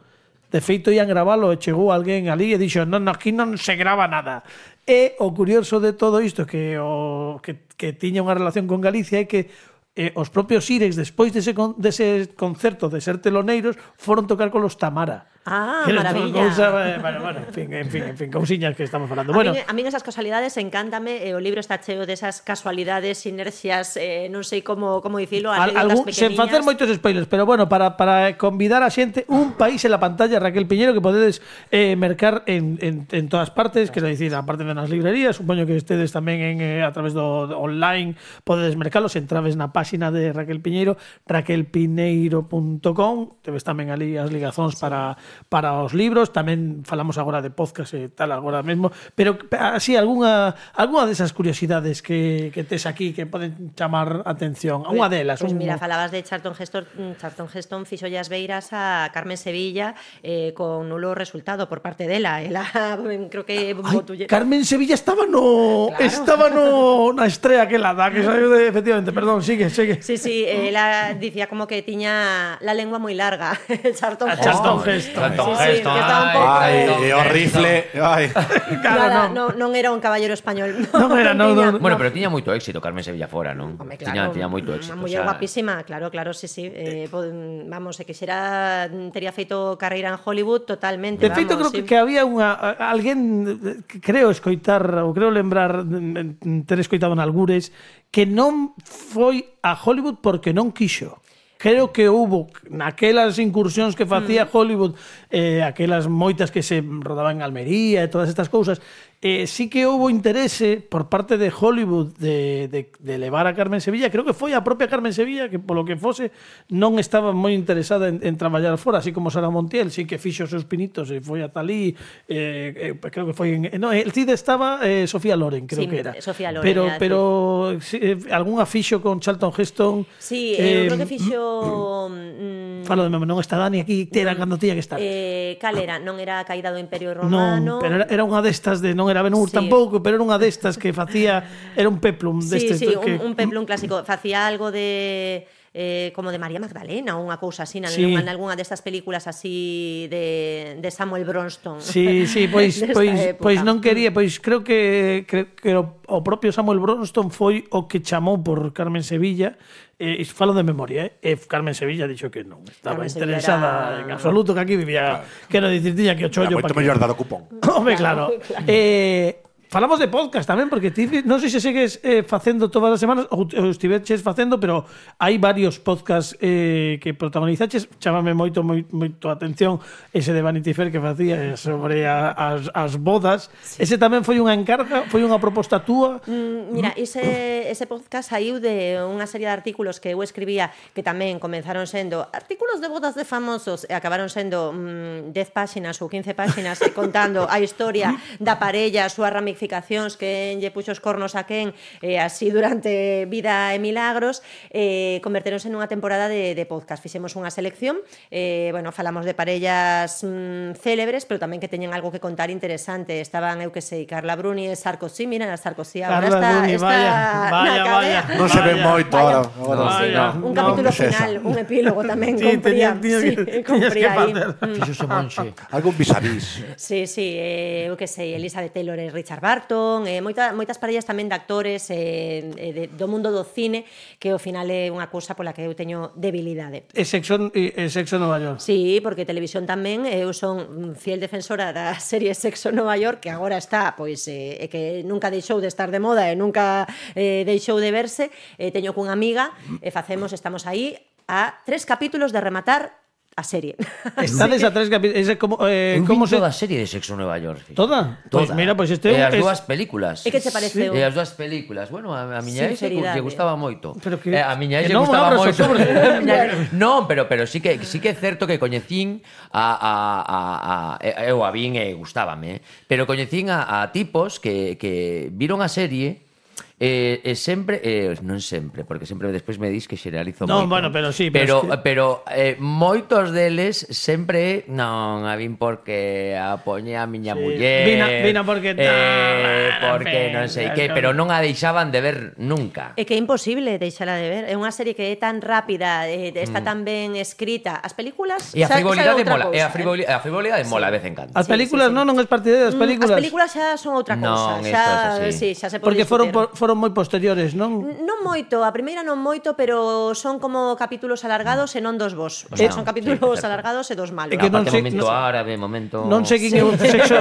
De feito, ian gravalo e chegou alguén ali e dixo, non, aquí non se grava nada. E o curioso de todo isto que o que, que tiña unha relación con Galicia é que eh, os propios Irex, despois dese, con, dese concerto de ser teloneiros, foron tocar con los Tamara. Ah, Que era maravilla. cousa, eh, bueno, bueno, en fin, en fin, en fin, cousiñas que estamos falando. A, Bueno, min, a min esas casualidades encántame, e o libro está cheo desas casualidades, inercias, eh, non sei como como dicilo, Al, anécdotas algún, sen pequeniñas. facer moitos spoilers, pero bueno, para, para convidar a xente, un país en la pantalla, Raquel Piñeiro, que podedes eh, mercar en, en, en todas partes, que é dicir, aparte de nas librerías, supoño que estedes tamén en, eh, a través do, do online, podedes mercalos, entraves na páxina de Raquel Piñeiro, raquel pineiro punto com, teves tamén ali as ligazóns sí. para, para os libros, tamén falamos agora de podcast e tal, agora mesmo, pero así, algunha, algunha desas curiosidades que, que tes aquí que poden chamar atención, unha delas. Pois pues un, mira, falabas de Charlton Heston, Charlton Heston fixolle as beiras a Carmen Sevilla eh, con nulo resultado por parte dela. Ela, creo que Ay, Carmen Sevilla estaba no Claro. estaba no na estrella que la da, que saiu de, efectivamente, perdón, sigue, sigue. Sí, sí, ela dicía como que tiña la lengua moi larga, Charlton A Heston. Charlton Heston. Charlton Sí, sí, Heston, que estaba un ay, pouco- Ai, Charlton e o Heston. rifle. Ai. Claro, Nada, non. non, non era un caballero español. Non era, non, tiña- non. Bueno, pero tiña moito éxito Carmen Sevilla fora, non? Home, Tiña, claro, tiña moito éxito. Unha muller o sea, guapísima, claro, claro, sí, sí. Eh, po- vamos, se quixera tería feito carreira en Hollywood totalmente, De feito, creo vamos, que, sí. que había unha alguén que creo escoitar ou creo lembrar mm, ter escoitado en algures que non foi a Hollywood porque non quixo. Creo que hubo naquelas incursións que facía Mm. Hollywood, eh, aquelas moitas que se rodaban en Almería e todas estas cousas, eh, sí que houve interese por parte de Hollywood de, de, de levar a Carmen Sevilla. Creo que foi a propia Carmen Sevilla que, polo que fose, non estaba moi interesada en, en traballar fora, así como Sara Montiel, sí que fixo os seus pinitos e foi ata ali, eh, eh, creo que foi en... No, el CID estaba eh, Sofía Loren, creo Sí, que era. Sofía Loren, Pero, era, pero sí, eh, algunha fixo con Charlton Heston. Sí, eh, eh, creo que fixo mm, Falo de memoria, non está Dani aquí, era cando tiña que estar. eh, cal era? Non era a caída do Imperio Non, Romano. pero era, era unha destas de non era Ben-Hur Sí. tampouco, pero era unha destas que facía, era un peplum Sí, destes sí, que un, un peplum clásico. Facía algo de eh, como de María Magdalena ou unha cousa así, Sí. sí. en algunha destas películas así de, de Samuel Bronston. Sí, sí, pois Desta pois época. pois non quería, pois creo que creo que o, o propio Samuel Bronston foi o que chamou por Carmen Sevilla. Eh, falo de memoria, eh? E Carmen Sevilla dixo que non estaba Carmen Sevilla interesada era- en absoluto, que aquí vivía, quero dicir, tiña que o Era chollo moito pa que- mellor dar o cupón. Home, claro. Eh, falamos de podcast tamén, porque ti non sei se segues eh, facendo todas as semanas ou, ou estiveches facendo, pero hai varios podcasts eh, que protagonizaches. Chámame moito, moi, moito a atención ese de Vanity Fair que facía sobre a, as, as bodas. Sí. Ese tamén foi unha encarga, foi unha proposta túa. Mm, Mira, ese, ese podcast saiu de unha serie de artículos que eu escribía que tamén comenzaron sendo artículos de bodas de famosos e acabaron sendo mm, dez páxinas ou quince páxinas eh, contando a historia da parella, as súas ramificacións, que lle puxo os cornos a quen, eh, así durante vida e milagros, eh, converteronse nunha temporada de, de podcast. Fixemos unha selección, eh, bueno, falamos de parellas mm, célebres, pero tamén que teñen algo que contar interesante. Estaban, eu que sei, Carla Bruni e Sarkozy, mira, a Sarkozy agora Carla está, Bruni, está vaya, na vaya, cadea. vaya. Non se ve Vaya, moito vaya. ahora. agora No, Sí, no, un no, capítulo que es esa. final, un epílogo tamén Sí, compría, tenía- tenía sí, que- tenías compría que aí. facer. Mm. Fixose monxe. Algún vis a vis. Sí, sí, eh, eu que sei, Elizabeth Taylor e Richard Barton, eh, moita, moitas parellas tamén de actores eh, eh, de, do mundo do cine, que ao final é unha cousa pola que eu teño debilidade. E Sexo, e Sexo Nova York. Sí, porque televisión tamén, eu son fiel defensora da serie Sexo Nova York, que agora está, pois, eh, e que nunca deixou de estar de moda e nunca eh, deixou de verse. Eh, teño cunha amiga e facemos, estamos aí a tres capítulos de rematar a serie. Estades a tres capítulos. Ese como, eh, Eu como vi se... toda a serie de Sexo en Nueva York. fíjate. Toda? Pois mira, pois este E é un- as es- dúas películas. E que che pareceu? E as dúas películas. Bueno, a, a miña ex lle Sinceridade. gustaba moito. Pero que- eh, a miña ex que lle non gustaba abras o moito. sobre. Non, pero pero sí que sí que é certo que coñecín a a a, a eu a vin e gustábame, eh? Pero coñecín a, a tipos que que viron a serie. E, e sempre, eh, non sempre, porque sempre despois me dis que xeralizo Non, moito. bueno, pero sí, pero pero es que- pero eh, moitos deles sempre non a vin porque a poñe a miña Sí. muller. Vina- vina porque eh, tal, porque non sei venga, que, con- pero non a deixaban de ver nunca. É que é imposible deixala de ver. É unha serie que é tan rápida, eh, está tan ben escrita. As películas E a xa- xa é frivolidade outra mola, e a cousa, frivolidade, a frivolidade mola de vez en cando. As Sí, películas sí, sí. non, non es partidaria das Mm, películas. As películas xa son outra Non, cousa. isto Xa, é así. sí, xa se pode Porque foron por, discutir. foron moi posteriores, non? Non moito, a primeira non moito, pero son como capítulos alargados e non dos vos. O sea, Eh, son sí, capítulos certo. alargados e dos malos. É que non sei- Aparte, momento non- árabe, momento... Non seguín eu sexo...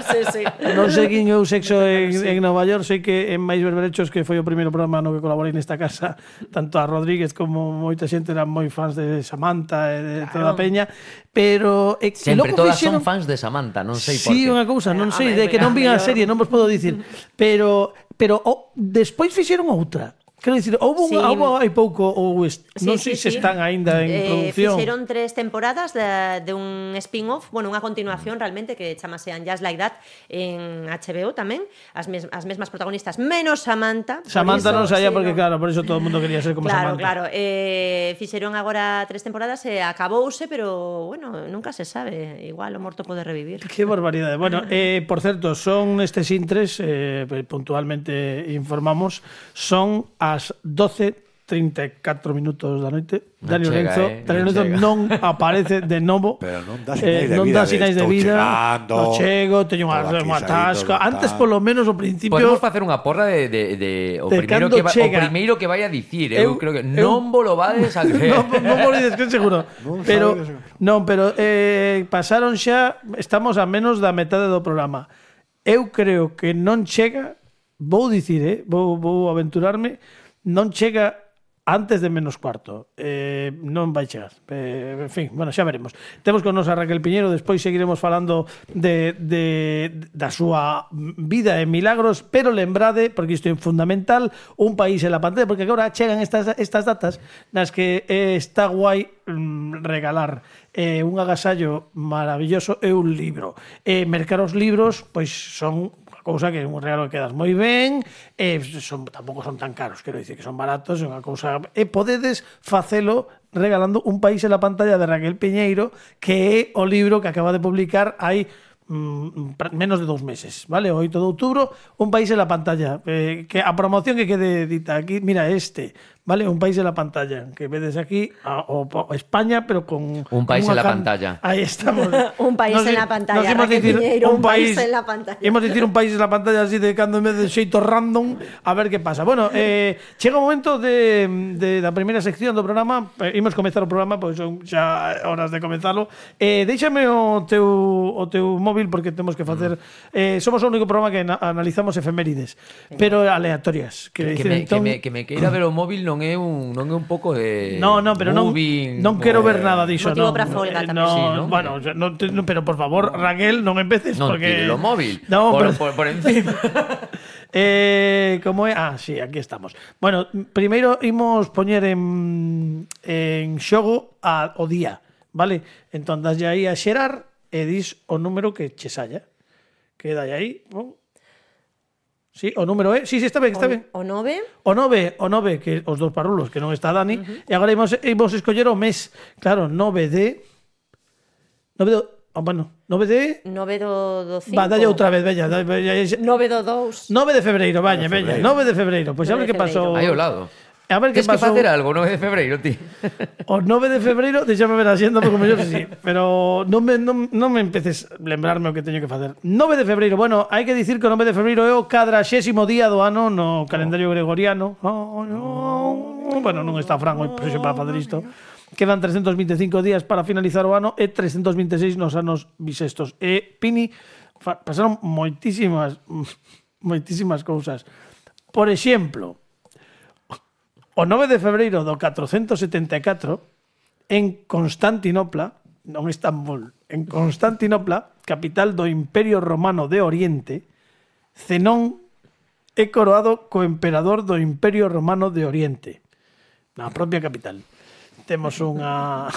sí, sí. Non seguín eu sexo en, en Nova York, sei que en Mais Berberechos, que foi o primeiro programa no que colaborei nesta casa, tanto a Rodríguez como moita xente eran moi fans de Samantha e de toda a peña, pero e, Sempre logo todas fixeron- son fans de Samantha, non sei por Sí, qué. unha cousa, non Ah, sei, home, de que non vin a mellor. serie, non vos podo dicir, pero pero oh, despois fixeron outra. Quero dicir, houve Sí. un, houve hai pouco ou est, Sí, non sei sí, se sí. están aínda en Eh, produción. Fixeron tres temporadas de, de un spin-off, bueno, unha continuación realmente que chamase Just Like That en H B O tamén, as, mes, as mesmas protagonistas, menos Samantha. por Samantha iso, non saía sí, porque non. claro, por eso todo o mundo quería ser como Claro, Samantha. claro. Eh, fixeron agora tres temporadas e acabouse, pero bueno, nunca se sabe. Igual o morto pode revivir. Qué barbaridade. Bueno, eh, por certo, son estes intres, eh, puntualmente informamos, son as doce trinta e catro minutos da noite. Non Dani chega, Lorenzo, eh, Dani non Lorenzo chega. non aparece de novo. Pero non dá Eh, sinais de non vida, dá de sinais de estou vida. chegando, No chego, teño unha, estou aquí unha saindo, tasca. tal. Antes, polo menos, ao principio... Podemos facer unha porra de, de, de o, De primeiro cando que va, o chega. primeiro que vai a dicir. Eu, Eu- creo que eu- non vos lo vades a creer. non, non vos dices que seguro. Non pero sabedes seguro. non, pero eh, pasaron xa, estamos a menos da metade do programa. Eu creo que non chega, vou dicir, eh, vou, vou aventurarme, non chega antes de menos cuarto. Eh, non vai chegar. Eh, en fin, bueno, xa veremos. Temos con nos a Raquel Piñeiro, despois seguiremos falando de, de, da súa vida en milagros, pero lembrade, porque isto é fundamental, un país en la pantalla, porque agora chegan estas, estas datas nas que eh, está guai mm, regalar eh, un agasallo maravilloso e un libro. Eh, mercar os libros, pois son cousa que é un regalo que quedas moi ben, e son, tampouco son tan caros, quero dicir que son baratos, é unha cousa, e podedes facelo regalando Un país en la pantalla de Raquel Piñeiro, que é o libro que acaba de publicar hai mm, menos de dous meses, vale? O oito de outubro, Un país en la pantalla, eh, que a promoción que quede dita aquí, mira este, vale? Un país en la pantalla, que vedes aquí a, o, o España, pero con Un país unha en la can- pantalla. Ahí estamos. Un país Nos en di- la pantalla, nos imos Raquel dicir Piñeiro, un país en la pantalla. Imos dicir un país en la pantalla así de cando me de xeito random a ver que pasa. Bueno, eh, chega o momento de, de da primeira sección do programa. Eh, imos comezar o programa, pois son xa horas de comezalo. Eh, déixame o teu o teu móvil porque temos que facer eh, somos o único programa que na, analizamos efemérides, pero aleatorias, Que, que, que, me, entón, que, me, que me queira ver o móvil non é un non é un pouco de No, no, pero non, moving, non quero o- ver nada diso, Motivo non. pra folga Eh, tamén. no, Sí, ¿no? bueno, o sea, no, te- no, pero por favor, Raquel, non empeces Non porque tire lo móvil. No, por, pero- por, por encima. Eh, como é? Ah, sí, aquí estamos. Bueno, primeiro imos poñer en, en xogo a, o día, vale? Entón, daslle aí a xerar e dis o número que che salla. Queda aí. Bon. Sí, o número é. Sí, sí, está ben, está ben. O nove, O nove, o nove, que os dous parrulos, que non está Dani, uh-huh. e agora imos, imos escoller o mes. Claro, nove de... nove de... Oh, bueno, nove de... nove do, do cinco. Va, dalle outra vez, veña. dalle- veña, nove do dous. nove de febreiro, vaña, veña. nove de febreiro. Pois pues a ver nove de que pasou. Aí ao lado. A ver que Tens que pasou. facer algo, nove de febreiro, ti. O nove de febreiro, deixame ver a xenda, porque mellor que sí. Pero non me, non, non me empeces a lembrarme o que teño que facer. nove de febreiro, bueno, hai que dicir que o nove de febreiro é o cadraxésimo día do ano no calendario gregoriano. Oh, no. Bueno, non está Fran hoxe para facer isto. Quedan trescentos vinte e cinco días para finalizar o ano e trescentos vinte e seis nos anos bisestos. E, Pini, fa- pasaron moitísimas, moitísimas cousas. Por exemplo, o nove de febreiro do catrocentos setenta e catro, en Constantinopla, non Estambul, en Constantinopla, capital do Imperio Romano de Oriente, Zenón é coroado co emperador do Imperio Romano de Oriente, na propia capital. Temos unha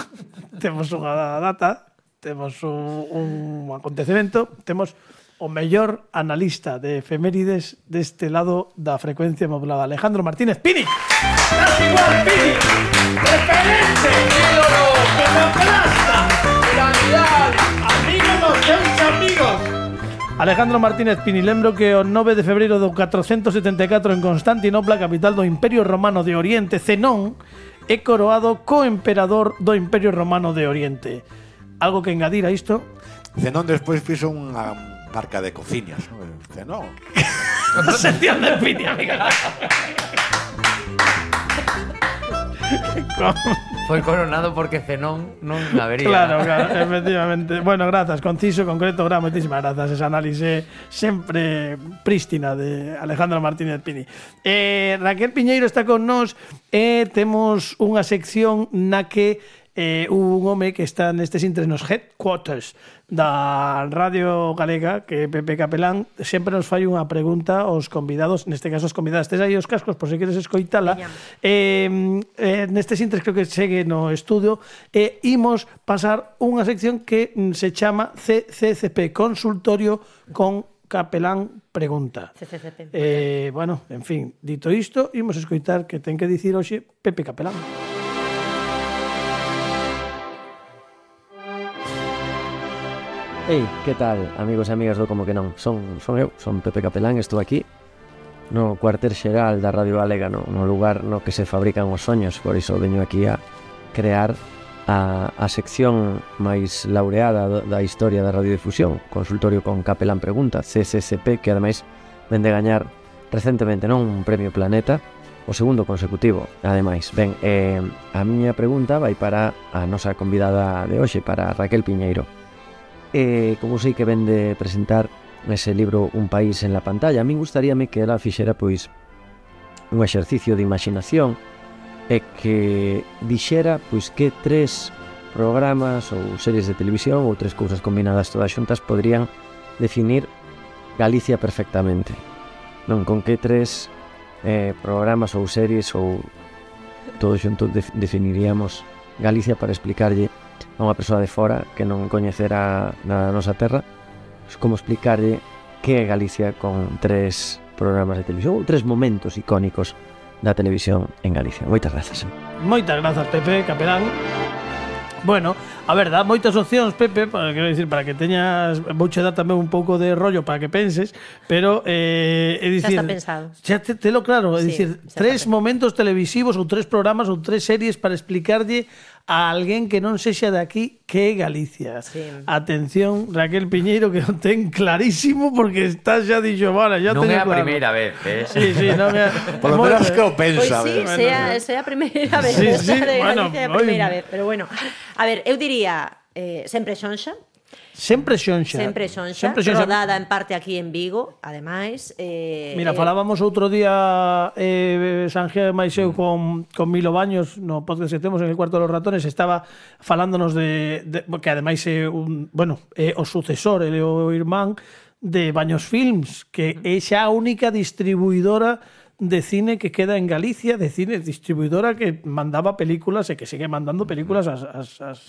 temos unha data, temos un, un acontecemento, temos o mellor analista de efemérides deste lado da frecuencia modulada, Alejandro Martínez Pini. ¡Estás igual, Pini! ¡Referente! ¡Ídolo! ¡Iconoclasta! ¡Piramidal! ¡Amigo dos seus amigos! Alejandro Martínez Pini, lembro que o nove de febreiro do catrocentos setenta e catro en Constantinopla, capital do Imperio Romano de Oriente, Zenón é coroado co-emperador do Imperio Romano de Oriente. Algo que engadir a isto? Zenón despois fixo unha marca de cociñas, non? Zenón. sección de Pini, amiga. Foi coronado porque Zenón non habería. Claro, claro, efectivamente. Bueno, grazas, conciso, concreto, gra, moitísimas grazas. Esa análise sempre prístina de Alejandro Martínez Pini. Eh, Raquel Piñeiro está con nós e temos unha sección na que eh, un home que está nestes intres nos headquarters da Radio Galega, que é Pepe Capelán, sempre nos fai unha pregunta aos convidados, neste caso os convidados. Tes aí os cascos por se queres escoitala. Eh, eh, nestes intres creo que segue no estudio e eh, imos pasar unha sección que se chama C C C P, Consultorio con Capelán Pregunta. C C C P. Eh, bueno, en fin, dito isto, imos escoitar que ten que dicir hoxe Pepe Capelán. Ei, que tal, amigos e amigas do Como que non? Son, son eu, son Pepe Capelán, estou aquí no cuartel xeral da Radio Galega, no, no lugar no que se fabrican os soños, por iso veño aquí a crear a, a sección máis laureada do, da historia da radiodifusión, Consultorio con Capelán Pregunta, C C C P, que ademais vende gañar recentemente non un premio Planeta, o segundo consecutivo, ademais. Ben, eh, a miña pregunta vai para a nosa convidada de hoxe, para Raquel Piñeiro. E como sei que vende presentar ese libro Un país en la pantalla, a min gustaríame que ela fixera pois un exercicio de imaginación e que dixera pois que tres programas ou series de televisión ou tres cousas combinadas todas xuntas poderían definir Galicia perfectamente. Non, con que tres eh, programas ou series ou todo xunto de, definiríamos Galicia para explicarlle a unha persoa de fora que non coñecera na nosa terra, como explicarlle que é Galicia con tres programas de televisión ou tres momentos icónicos da televisión en Galicia. Moitas grazas. Moitas grazas, Pepe Capelán. Bueno, a ver, dá moitas opcións, Pepe, para, quero dicir, para que teñas, vouche dar tamén un pouco de rollo para que penses, pero eh, é dicir, xa está pensado. Xa te, te lo claro, é Sí, dicir, xa tres está momentos televisivos ou tres programas ou tres series para explicarlle a alguén que non sexa de aquí que é Galicia. Sí. Atención, Raquel Piñeiro, que o ten clarísimo porque está xa dixo, vale, xa Non teño é a claro. primeira vez, eh? Sí, sí, non é. Por lo menos que o Pois pensa. sí, ¿verdad? sea, sea a primeira vez, Sí, esa sí, de bueno, Galicia é a oi. primeira vez, pero bueno. A ver, eu diría eh, sempre xonxa, Sempre xonxa. sempre xonxa, Sempre xonxa. rodada en parte aquí en Vigo, ademais. Eh, Mira, eh, falábamos outro día eh, Sanjeo máis eu con, con Milo Baños no podcast que temos en el Cuarto de los Ratones, estaba falándonos de, de que ademais é un, bueno, é o sucesor, é o irmán de Baños Films, que é xa a única distribuidora de cine que queda en Galicia, de cine distribuidora que mandaba películas e que sigue mandando películas ás, ás, ás,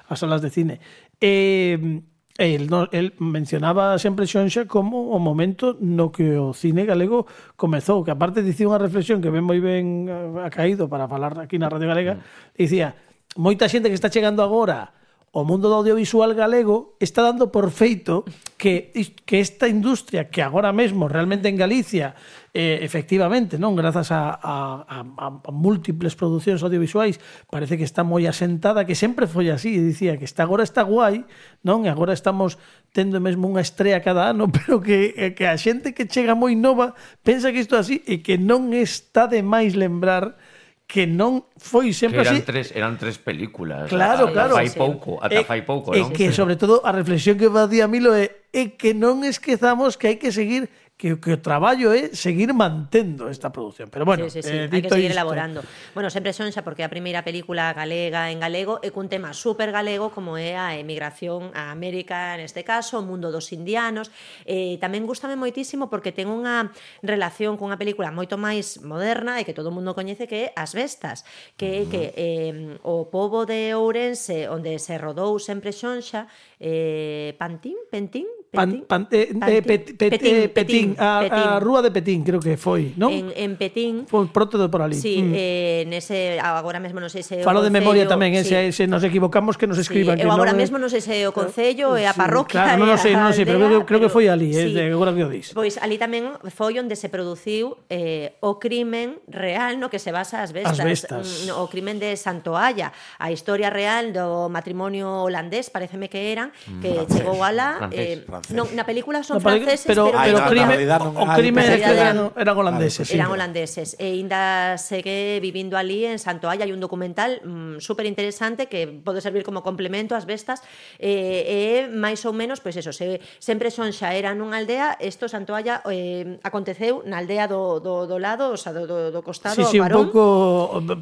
ás salas de cine. Eh, El, no, el mencionaba sempre xonxa como o momento no que o cine galego comezou, que aparte dicía unha reflexión que ven moi ben a caído para falar aquí na Radio Galega, dicía, moita xente que está chegando agora o mundo do audiovisual galego está dando por feito que, que esta industria que agora mesmo realmente en Galicia eh, efectivamente, non, grazas a, a, a, a múltiples producións audiovisuais parece que está moi asentada, que sempre foi así, e dicía que está agora está guai, non, e agora estamos tendo mesmo unha estrea cada ano, pero que, que a xente que chega moi nova pensa que isto é así e que non está de máis lembrar que non foi sempre que eran así. tres, eran tres películas. Claro, ata claro. Fai pouco, ata E- fai pouco, e non? que, sobre todo, a reflexión que facía Milo é, é que non esquezamos que hai que seguir, que, que o traballo é seguir mantendo esta produción. Pero bueno, sí, sí, sí. eh, hai que dito seguir isto, elaborando. Bueno, sempre xonxa porque é a primeira película galega en galego e cun tema super galego como é a emigración a América, neste caso, o mundo dos indianos. Eh, tamén gustame moitísimo porque ten unha relación cunha película moito máis moderna e que todo o mundo coñece que é As Bestas, que é que eh, o pobo de Ourense onde se rodou sempre xonxa, eh, Pantín, Pentín, Pan, Pentín, pan, eh, eh, pet, pet, Petín, eh, Petín, a, Petín. a Rúa de Petín, creo que foi, non? En, en Petín. Foi pronto de por ali. Sí, Mm. eh, nese, agora mesmo non sei se Falo de memoria tamén, eh, sí. se, se nos equivocamos que nos escriban. Sí, que eu agora non, mesmo non sei se o Concello e a Sí, parroquia claro, non e o sei, non o a sei, pero aldea, creo, creo que foi ali, eh, sí. de agora que o dis. Pois ali tamén foi onde se produciu eh, o crimen real no que se basa As Bestas. As Bestas. Mm, O crimen de Santoalla, a historia real do matrimonio holandés, pareceme que eran, que Francés, chegou alá, francés, eh, francés. francés. Non, na película son Na peli- franceses, pero, pero, pero Ah, crime, na realidad non- o ah, crime pensei que eran, eran- eran holandeses. sí. eran holandeses. E ainda segue vivindo ali en Santoalla. Hai un documental mm, super interesante que pode servir como complemento ás bestas. E, e máis ou menos, pois eso, se, sempre son xa era nunha aldea, isto Santoalla eh, aconteceu na aldea do, do, do lado, o sea, do, do, do costado, Sí, sí, un varón. pouco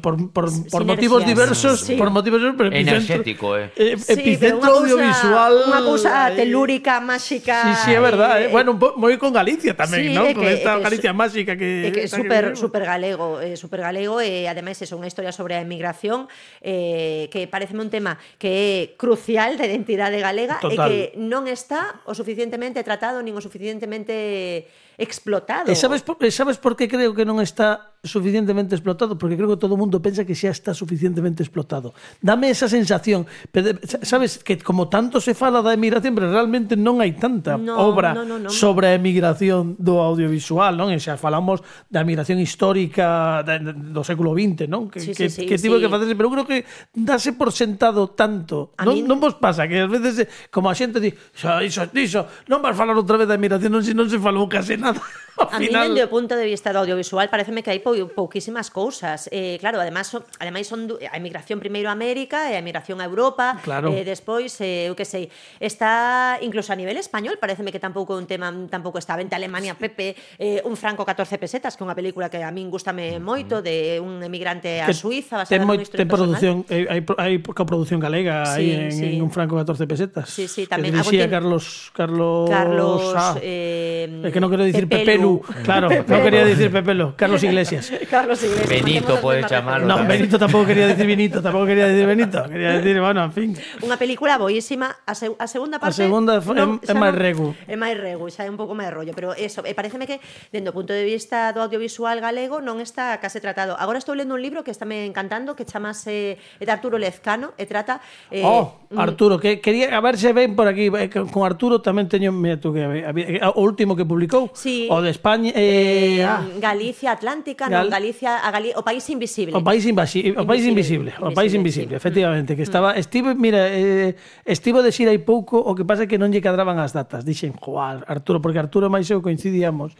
por, por, por Sinergias. motivos diversos, Sí. por motivos diversos, pero epicentro, Enerxético, eh. eh, Sí, pero epicentro unha cousa- audiovisual. Unha cousa aí. telúrica, máxica. Sí, sí, é verdad, eh. eh, Bueno, un po- moi con Galicia tamén, Sí, ¿no? é Con que- esta é que Galicia su- máxica que É que é esta super, vivimos. super galego, eh, super galego e ademais é unha historia sobre a emigración eh, que pareceme un tema que é crucial da identidade galega e Total. que non está o suficientemente tratado nin o suficientemente explotado. E sabes, por, e sabes por que creo que non está suficientemente explotado? Porque creo que todo o mundo pensa que xa está suficientemente explotado. Dame esa sensación. Pero, sabes que como tanto se fala da emigración, pero realmente non hai tanta No, obra no, no, no. sobre a emigración do audiovisual, non? E xa falamos da emigración histórica da- do século vinte, non? Que, Sí, que, sí, sí, que tivo sí. que facerse, pero eu creo que dase por sentado tanto. A Non, min- non vos pasa que ás veces, como a xente di, xa, iso, iso, non vas falar outra vez da emigración, non se non se falou case nada. Ao A mí, final, dende o punto de vista do audiovisual, pareceme que hai pou, pouquísimas cousas. Eh, claro, además, son, ademais son du- a emigración primeiro a América e a emigración a Europa. Claro. Eh, despois, eh, eu que sei, está incluso a nivel español, pareceme que tampouco é un tema, tampouco está vente Alemania, Pepe, eh, un franco catorce pesetas, que é unha película que a min gustame moito, de un emigrante a que Suiza, ten, basada moi, nunha historia ten personal. produción, eh, hai, hai coproducción galega Sí, aí en, sí. en un franco catorce pesetas. Sí, sí, que tamén. dirixía Agustín- Carlos Carlos Carlos, ah, eh, é que non quero dicir Pepelu. Pepelu, claro, non quería dicir Pepelu, Carlos Iglesias. Carlos Iglesias. Benito, facemos as puedes mesmas chamarlo No, referencias. Benito tampouco quería dicir Benito, tampouco quería dicir Benito, quería dicir, bueno, en fin. Unha película boísima, a, se, a segunda parte segunda é- é xa máis regu. É máis regu, xa é un pouco máis rollo, pero eso, e pareceme que dende o punto de vista do audiovisual galego non está case tratado. Agora estou lendo un libro que estáme encantando que chamase é de Arturo Lezcano e trata eh, Oh, mm, Arturo, que quería a ver se ven por aquí, eh, que con Arturo tamén teño, mira tú que había- o último que publicou, Sí. o de España, eh, eh, ah, Galicia Atlántica, Gal- non, Galicia, a Gali, o país invisible. O país invasible, o país invisible, o país invisible, Invisible, sí. efectivamente, que estaba Steve, mira, eh, estivo de xira hai pouco, o que pasa é que non lle cadraban as datas. Dixen, "Joar, Arturo", porque Arturo e máis eu coincidíamos.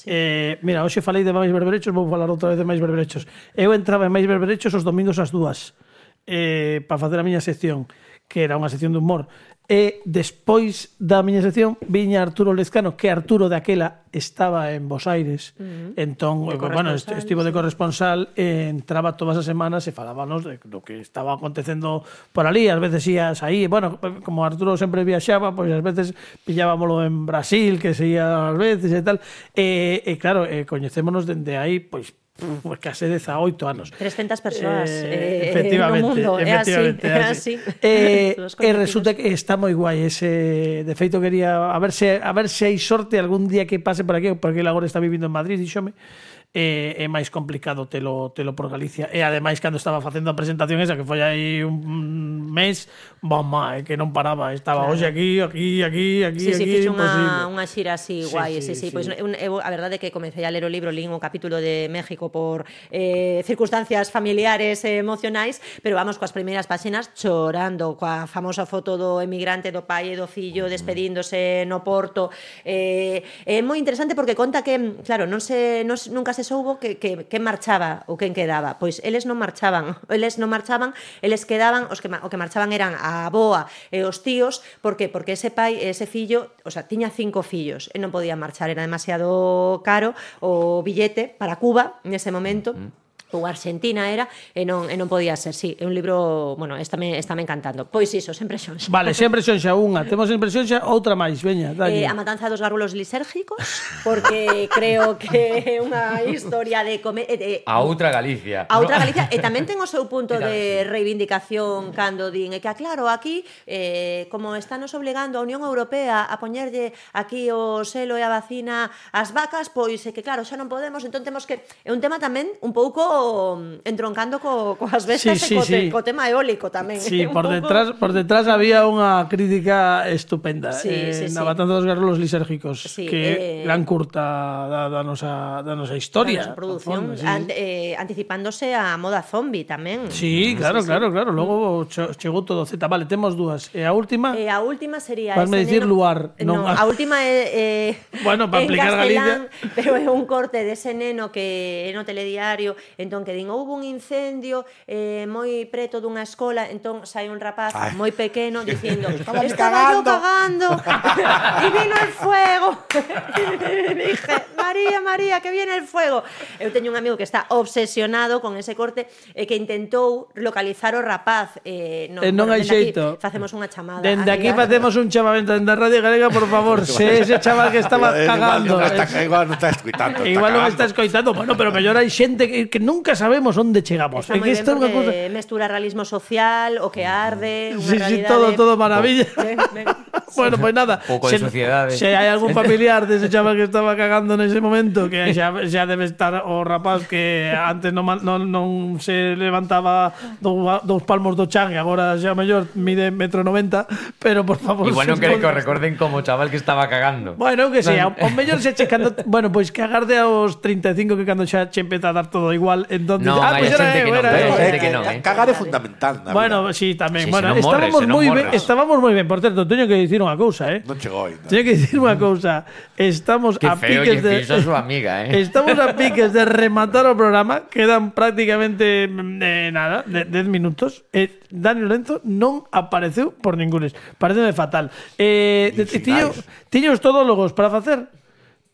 Eh, mira, hoxe falei de máis berberechos, vou falar outra vez de máis berberechos. Eu entraba en máis berberechos os domingos ás dúas, eh, para facer a miña sección, que era unha sección de humor. E despois da miña sección viña Arturo Lezcano, que Arturo daquela estaba en Bos Aires. Uh -huh. Entón, De bueno, corresponsal, estivo de sí. corresponsal, e entraba todas as semanas e falábanos de do que estaba acontecendo por ali. Ás veces ías aí, bueno, como Arturo sempre viaxaba, pois ás veces pillábamolo en Brasil, que se ia ás veces e tal. E, e claro, e coñecémonos dende aí, pois, pues case dezaoito anos. trescentas persoas Eh, eh, efectivamente, no mundo, é así, efectivamente, é así. Eh, Todos e resulta que está moi guai ese, de feito quería a ver se a ver se hai sorte algún día que pase por aquí, porque ele agora está vivindo en Madrid, díxome. É, é máis complicado telo, telo por Galicia. E ademais, cando estaba facendo a presentación esa, que foi aí un mes, mamá, é que non paraba, estaba Claro. hoxe aquí, aquí, aquí, aquí, Sí, sí, aquí, fixo imposible. unha, unha xira así Sí, guai, sí, sí, sí, sí. pois un, eu, a verdade é que comecei a ler o libro, lín o capítulo de México por eh, circunstancias familiares e emocionais, pero vamos coas primeiras páxinas chorando, coa famosa foto do emigrante, do pai e do fillo despedíndose no porto. Eh, é moi interesante porque conta que, claro, non se, non, se- nunca se soubo que, que, que marchaba ou quen quedaba. Pois eles non marchaban, eles non marchaban, eles quedaban, os que, ma- o que marchaban eran a avoa e os tíos, por que? Porque ese pai e ese fillo, o sea, tiña cinco fillos e non podía marchar, era demasiado caro o billete para Cuba nese momento. Ou Argentina era, e non, e non podía ser, sí, é un libro, bueno, estáme, estáme encantando. Pois iso, sempre xonxa. Vale, sempre son xa unha, temos sempre son xa outra máis, veña, dalle. Eh, a matanza dos gárgolos lisérgicos, porque creo que é unha historia de... Come, eh, de A outra Galicia. A outra ¿no? Galicia, e tamén ten o seu punto Claro, de reivindicación cando din, e que, claro, aquí, eh, como estános obligando a Unión Europea a poñerlle aquí o selo e a vacina ás vacas, pois é que, claro, xa non podemos, entón temos que... É un tema tamén un pouco pouco entroncando co, coas bestas Sí, sí, e co, sí. co tema eólico tamén. Sí, Un por pouco- detrás, por detrás había unha crítica estupenda. Sí, eh, sí, na sí. Matanza dos Garrolos Lisérgicos, Sí, que eh, gran curta da, da, nosa, da nosa historia. Da nosa produción, Conforme, sí, an- sí. eh, anticipándose a moda zombie tamén. Sí, claro, claro, claro. Logo cho- chegou todo Z. Vale, temos dúas. E a última? E a última sería Vasme ese dicir neno... Luar, non No, a- a última é, é Bueno, pa en aplicar castelán, Galicia. pero é un corte dese neno que é no telediario, entón que din, houve un incendio eh, moi preto dunha escola, entón sai un rapaz Ay. moi pequeno dicindo, Estaba estaba yo cagando." cagando y vino el fuego. Dije, María, María, que viene el fuego. Eu teño un amigo que está obsesionado con ese corte e que intentou localizar o rapaz. Eh, non, E non hai dende aquí xeito. Facemos unha chamada. Dende aquí amiga. facemos un chamamento dende a Radio Galega, por favor, se ese chaval que estaba Eh, igual cagando. non está, eh, igual non está escuitando. Igual non cagando. está escoitando, bueno, pero mellor hai xente que, que nunca sabemos onde chegamos. Está É moi que ben isto é unha porque cousa. mestura realismo social, o que arde, unha Sí, sí, realidade... todo, todo maravilla. Ben, ben. Bueno, pois pues nada. pouco de sociedade. Se hai algún familiar dese chaval que estaba cagando nese momento, que xa, xa debe estar o rapaz que antes non, ma- non, non se levantaba dous, dous palmos do chan e agora xa mellor mide metro noventa, pero por favor... Igual non se quere que o pon- recorden como o chaval que estaba cagando. Bueno, que sea, o mellor se che cando, bueno, pois que agarde aos treinta e cinco que cando xa che empeza a dar todo igual, entonces, No, ah, hai pois era xente eu, que non era ve, eu. hai xente Eh, que non, eh, eh. Cagar é fundamental na Bueno, vida. sí, tamén. Sí, bueno, se non morres, estábamos se non moi ben, morres. estábamos moi ben. Por certo, teño que dicir unha cousa, eh. Non chegou ainda. Teño que dicir unha cousa. Estamos Que a feo piques lle de fixo a súa amiga, eh. Estamos a piques de rematar o programa. Quedan prácticamente mm, eh, nada, de, dez minutos. Eh, Dani Lorenzo non apareceu por ningunes. Pareceme fatal. Eh, Nin tiño, sinais. tiño os todólogos para facer.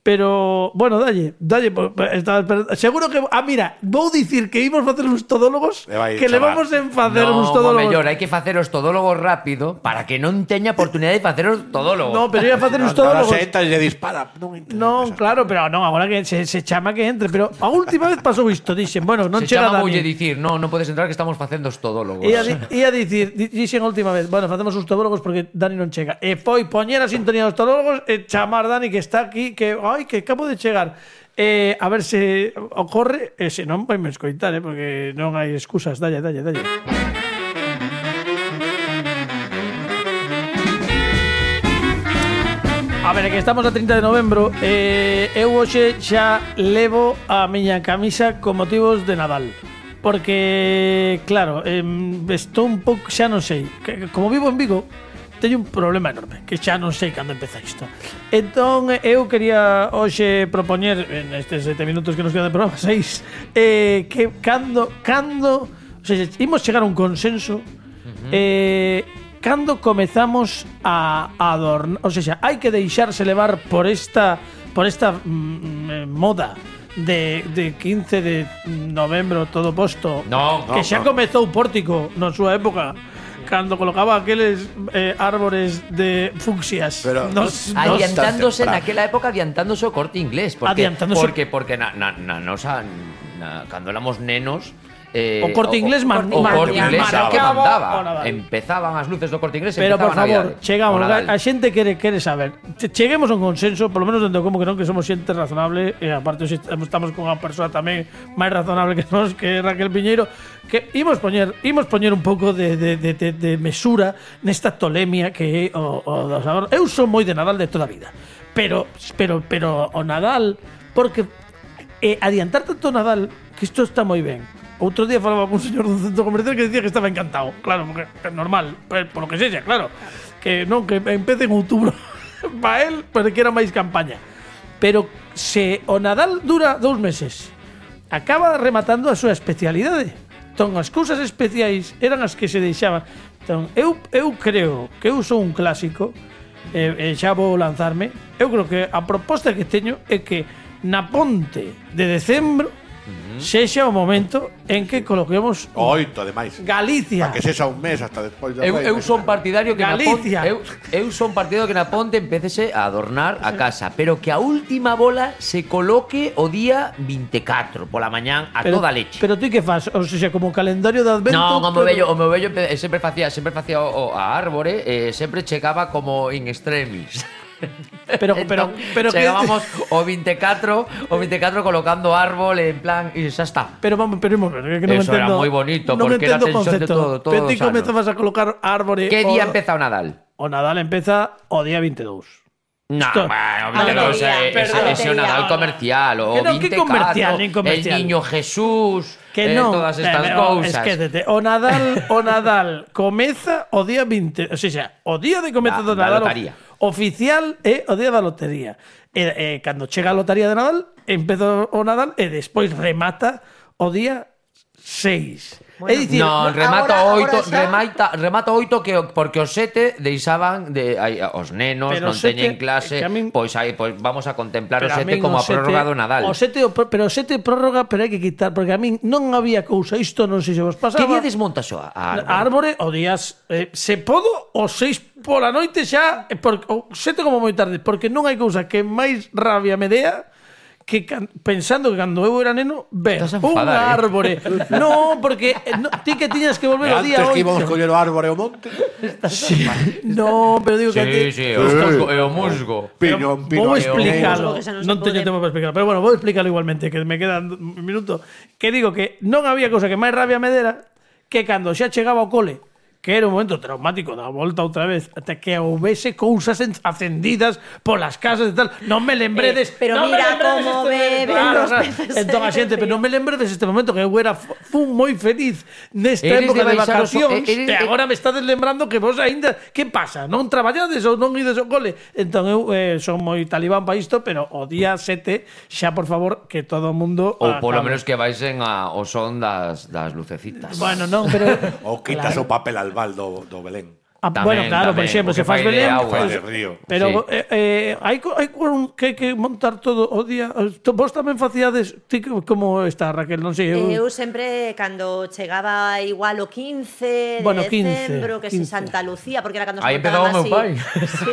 Pero, bueno, dalle, dalle, po- po- estaba esperando. Seguro que, ah, mira, vou dicir que imos facer uns todólogos E vai que le chamar. vamos en facer No, uns o todólogos. mellor, hai que facer os todólogos rápido para que non teña oportunidade de facer os todólogos. No, pero ia facer uns Ahora todólogos. se entra e lle dispara. Non, entra. Non, claro, pero non, agora que se, se chama que entre, pero a última vez pasou isto, dixen, bueno, non Se chega chama Dani. voulle dicir, no, non podes entrar que estamos facendo os todólogos. Ia, di- ia dicir, di- dixen a última vez, bueno, facemos os todólogos porque Dani non chega. E foi poñer a sintonía dos todólogos e chamar Dani que está aquí, que, ai, que acabo de chegar. Eh, a ver se ocorre, e se non, vai me escoitar, eh, porque non hai excusas, dalle, dalle, dalle. A ver, é que estamos a trinta de novembro e eh, eu hoxe xa levo a miña camisa con motivos de Nadal. Porque, claro, eh, estou un pouco, xa non sei, que, como vivo en Vigo, teño un problema enorme, que xa non sei cando empeza isto. Entón, eu quería hoxe propoñer, en estes sete minutos que nos quedan de programa, seis, eh, que cando, cando, o sea, imos chegar a un consenso, uh-huh. eh, cando comezamos a adornar, o sea, hai que deixarse levar por esta por esta mm, moda de, de quince de novembro todo posto, No, que no, xa no. comezou Pórtico na súa época cando colocaba aqueles eh, árbores de fucsias. Pero- nos, nos, Adiantándose temprano. naquela época, adiantándose o corte inglés. Porque, Adiantándose. Porque, porque na, na, na nosa, na, cando éramos nenos, eh, O Corte Inglés man- o, o man- corte inglés era o que marcaba o mandaba. Nadal. Empezaban as luces do corte inglés e Pero por empezaban favor, Navidade. chegamos, O Nadal. a xente quere quere saber. Che- Cheguemos a un consenso, polo menos dentro como que non que somos xente razonable e aparte hoxe estamos con unha persoa tamén máis razonable que nós, que é Raquel Piñeiro, que imos poñer, imos poñer un pouco de, de, de, de, de mesura nesta tolemia que é o, o dos agora. Eu son moi de Nadal de toda a vida. Pero pero pero o Nadal porque eh, adiantar tanto o Nadal, que isto está moi ben. Outro día falaba con un señor dun centro comercial que decía que estaba encantado. Claro, porque é normal, por, por lo que sexa, claro. Que non, que empece en outubro para él, pero que era máis campaña. Pero se o Nadal dura dous meses, acaba rematando a súa especialidade. Entón, as cousas especiais eran as que se deixaban. Entón, eu, eu creo que eu sou un clásico, e, e xa vou lanzarme. Eu creo que a proposta que teño é que na ponte de decembro sexa o momento en que coloquemos Oito, ademais. Galicia. Que sexa un mes hasta despois da Eu, Rei, eu son partidario que Galicia. na ponte, eu, eu son partidario que na ponte empecese a adornar a casa, pero que a última bola se coloque o día veinticuatro pola mañán a Pero, toda leche. pero ti que fas? O sea, como calendario de advento. No, o pero- meu vello, o meu vello empe- sempre facía, sempre facía o, o a árbore, eh, sempre chegaba como in extremis. Pero, pero, pero que- chegábamos o veinticuatro o veinticuatro colocando árbol en plan y xa está. Pero vamos, pero vamos, que no me Eso era entendo. moi bonito, no me porque era entendo o tensión de concepto. todo, todo Pero ti sano. comezabas a colocar árbore. Que o- día empeza o Nadal? O Nadal empeza o día veintidós. No, Esto- bueno, A pero lotería, ese, ese, perdón. ese Nadal comercial o Que no, que veinticuatro, comercial, nin comercial. el niño Jesús, Que eh, non, todas estas eh, cousas. Esquécete, o Nadal, o Nadal comeza o día veinte, o sea, o día de comeza Da- do da Nadal lotaría. oficial é o día da lotería. E, e cando chega a lotaría de Nadal, empeza o Nadal e despois remata o día seis. Bueno, é dicir, No, no, remata agora- oito, agora xa- remata, remata oito que o- porque os sete deixaban de ai, os nenos Pero non os sete- teñen clase, que a min- pois aí pois vamos a contemplar o pero a sete min como o a prórroga do Nadal. O sete, o pro- pero o sete prórroga, pero hai que quitar, porque a min non había cousa, isto non sei se vos pasaba. Que día desmontas a árbore? A árbore o días eh, se podo o seis pola noite xa eh, por, o sete como moi tarde, porque non hai cousa que máis rabia me dea que can, pensando que cando eu era neno ver Estás a un enfadar, eh? árbore. No, porque eh, no, ti que tiñas que volver o día Antes que íbamos oito. coller o árbore ao monte. Sí. No, pero digo que Sí, antes- sí, o musgo, e o musgo. Piñón, Vou piñón. explicalo. Porque xa non se Non teño pode. tempo para explicarlo, pero bueno, vou explicarlo igualmente, que me quedan un minuto. Que digo que non había cousa que máis rabia me dera que cando xa chegaba ao cole, que era un momento traumático da volta outra vez, até que houvese cousas en- acendidas polas casas e tal. Non me lembredes, Eh, pero non me mira lembredes como este- beben Claro, los claro. peces Entón a en xente, el pero non me lembredes este momento que eu era fu- fun moi feliz nesta Eres época de de, baixar os- vacacións eres- e agora me estades lembrando que vos aínda que pasa? Non traballades ou non ides ao cole? Entón eu eh, son moi talibán para isto, pero o día sete xa por favor que todo o mundo Ou polo acabe. menos que vaisen a, o son das, das lucecitas. Bueno, non, pero Ou quitas o papel albal do, do Belén. Ah, Tamén, bueno, claro, por tamén, exemplo, porque se faz fai de Belén, auga. pues, de río. pero Sí. eh, eh, hai co- hai con que hai que montar todo o día. To- Vos tamén facíades ti que- como está Raquel, non sei, eu, Eu sempre, cando chegaba igual o quince de Bueno, quince, decembro, que si quince. Santa Lucía, porque era cando se Aí montaban empezaba o meu así. pai. Sí.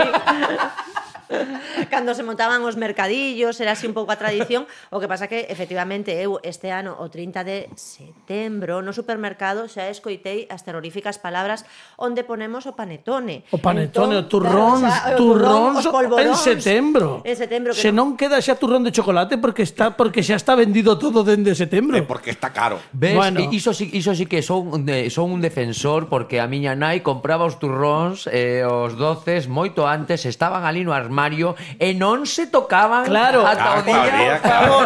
Cando se montaban os mercadillos, era así un pouco a tradición. O que pasa que, efectivamente, eu este ano, o trinta de setembro, no supermercado xa escoitei as terroríficas palabras onde ponemos o panetone. O panetone, Entón, o turrón, claro, xa, o turrón os polvoróns. en setembro. En setembro. que Se non- non queda xa turrón de chocolate porque está porque xa está vendido todo dende setembro. Eh, porque está caro. Ves, Bueno. bueno. iso, sí, iso sí que son, un de, son un defensor porque a miña nai compraba os turróns e eh, os doces moito antes, estaban ali no armario e non se tocaban Claro, ata o Ah, día. todavía, por favor,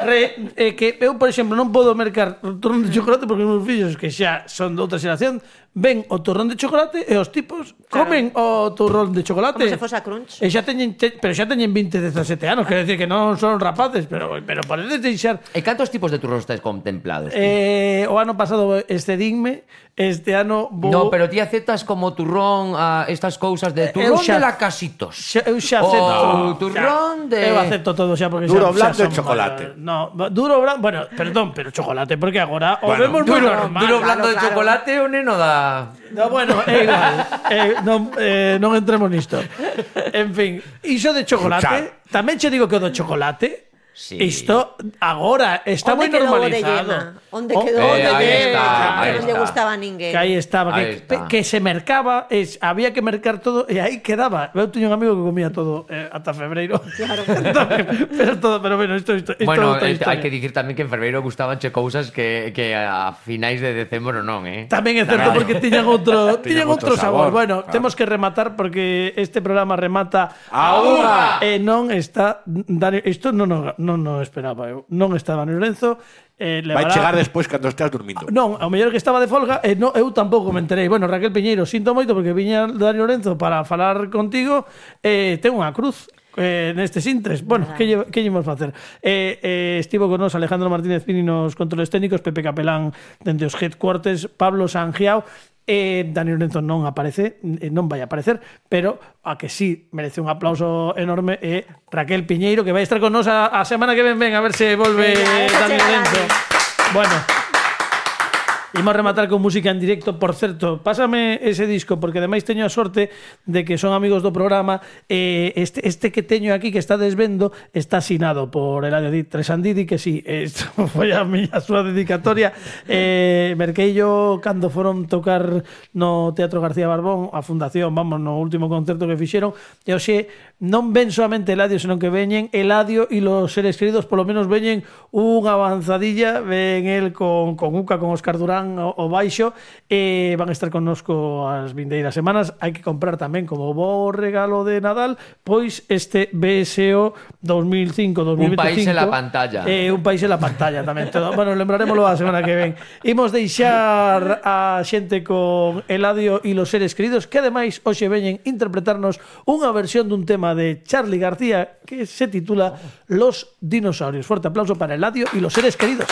re, eh, que eu, por exemplo, non podo mercar o turrón de chocolate porque os meus fillos, que xa son de outra xeración, ven o turrón de chocolate e os tipos comen o turrón de chocolate. Como se fose a Crunch. E xa teñen, te, pero xa teñen veinte, dezasete anos, quer decir que non son rapaces, pero, pero podedes deixar. E cantos tipos de turróns tes contemplados? ti? Eh, o ano pasado excedinme, este ano vou... No, pero ti aceptas como turrón a estas cousas de Eu turrón xa- de lacasitos. Xa, eu xa O acepto. turrón xa, de- Eu acepto todo xa porque Duro, xa, blando xa e son chocolate. maiores. No, duro blando, bueno, perdón, pero chocolate porque agora o Bueno, vemos moi Duro, normal. duro blando de claro. chocolate o neno da... No, bueno, é igual. eh, non, eh, non entremos nisto. En fin, iso de chocolate, tamén che digo que o do chocolate, Sí. isto agora está moi Onde quedou o de normalizado. Yema? Onde O- quedou o o Eh, de aí Yema? está, Que aí non lle está. gustaba a ninguén. Que aí estaba, Aí que, está. que se mercaba, es, había que mercar todo e aí quedaba. Eu teño un amigo que comía todo eh, ata febreiro. Claro. pero todo, pero bueno, isto isto, isto Bueno, é outra eh, historia. hai que dicir tamén que en Ferreiro gustabanche cousas que, que a finais de decembro non, eh? Tamén é certo porque tiñan outro, tiñan Tiñan outro outro sabor. sabor, Bueno, claro. temos que rematar porque este programa remata A unha. e non está Dani, isto non non non no esperaba eu. Non está Dani Lorenzo, eh, Vai levará- chegar despois cando estés dormindo. Non, ao mellor que estaba de folga e no, eu tampouco me enterei. Bueno, Raquel Piñeiro, sinto moito porque viña Dani Lorenzo para falar contigo e eh, ten unha cruz eh, nestes intres. Bueno, que lle, que lle imos facer? Eh, eh, estivo con nos Alejandro Martínez Pini nos controles técnicos, Pepe Capelán dende os headquarters, Pablo Sangiao. Eh, Dani Lorenzo non aparece, eh, non vai aparecer, pero a que sí merece un aplauso enorme é Raquel Piñeiro, que vai estar con nos a, a semana que ven, ven a ver se volve Venga, Dani déjate, Lorenzo. Dani. Bueno, Imos rematar con música en directo. Por certo, pásame ese disco, porque ademais teño a sorte de que son amigos do programa. eh, este, este que teño aquí, que está desvendo, está asinado por Eladio Tresandidi, que sí, isto foi a miña súa dedicatoria. eh, Merqueillo cando foron tocar no Teatro García Barbón, a Fundación, vamos, no último concerto que fixeron, e hoxe non ven solamente Eladio, senón que veñen Eladio e los seres queridos, polo menos veñen unha avanzadilla, ven el con, con Uca, con Óscar Durán o, o baixo, e van a estar connosco as vindeiras semanas. Hai que comprar tamén como bo regalo de Nadal, pois este B S O dos mil cinco dos mil veinticinco. Un país en la pantalla. Eh, un país en la pantalla tamén. Todo. Bueno, lembraremoslo a semana que ven. Imos deixar a xente con Eladio e los seres queridos, que ademais hoxe veñen interpretarnos unha versión dun tema de Charly García que se titula Los dinosaurios. Fuerte aplauso para Eladio y los seres queridos.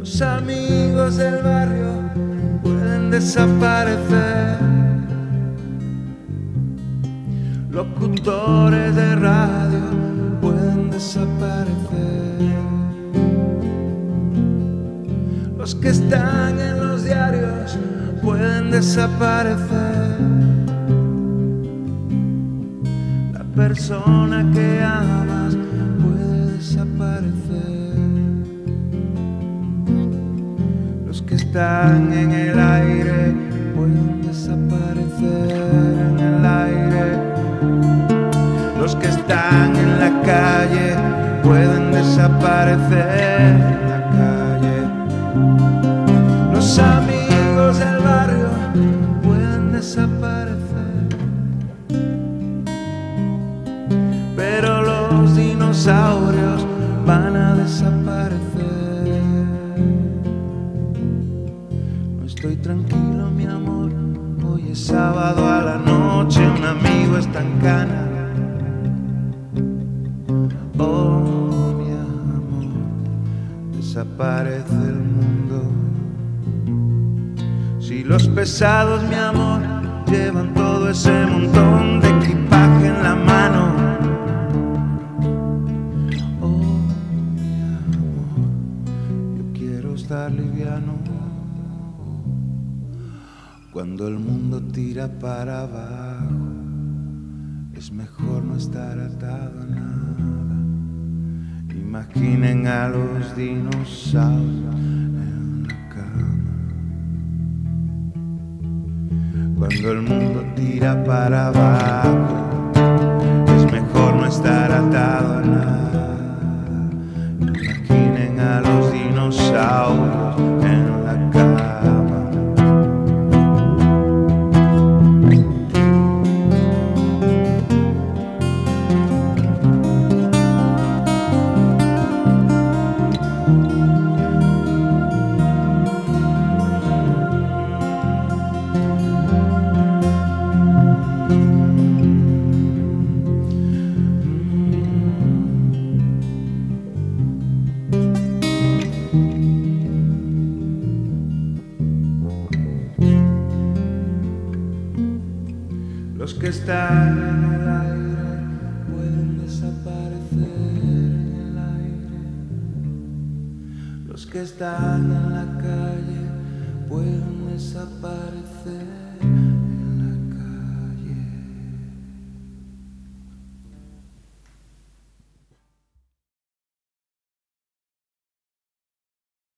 Los amigos del barrio pueden desaparecer, locutores de radio pueden desaparecer, los que están en los diarios pueden desaparecer, la persona que amas puede desaparecer. Los que están en el aire pueden desaparecer en el aire. Los que están en la calle pueden desaparecer en la calle. Los amigos del barrio pueden desaparecer, pero los dinosaurios van a desaparecer. Estoy tranquilo, mi amor, hoy es sábado a la noche, un amigo está en cana. Oh, mi amor, desaparece el mundo. Si los pesados, mi amor, llevan todo ese montón de equipaje en la mano. Oh, mi amor, yo quiero estar liviano. Cuando el mundo tira para abajo, es mejor no estar atado a nada. Imaginen a los dinosaurios en la cama. Cuando el mundo tira para abajo, es mejor no estar atado a nada. Imaginen a los dinosaurios en la cama. Los que están en el aire pueden desaparecer en el aire. Los que están en la calle pueden desaparecer.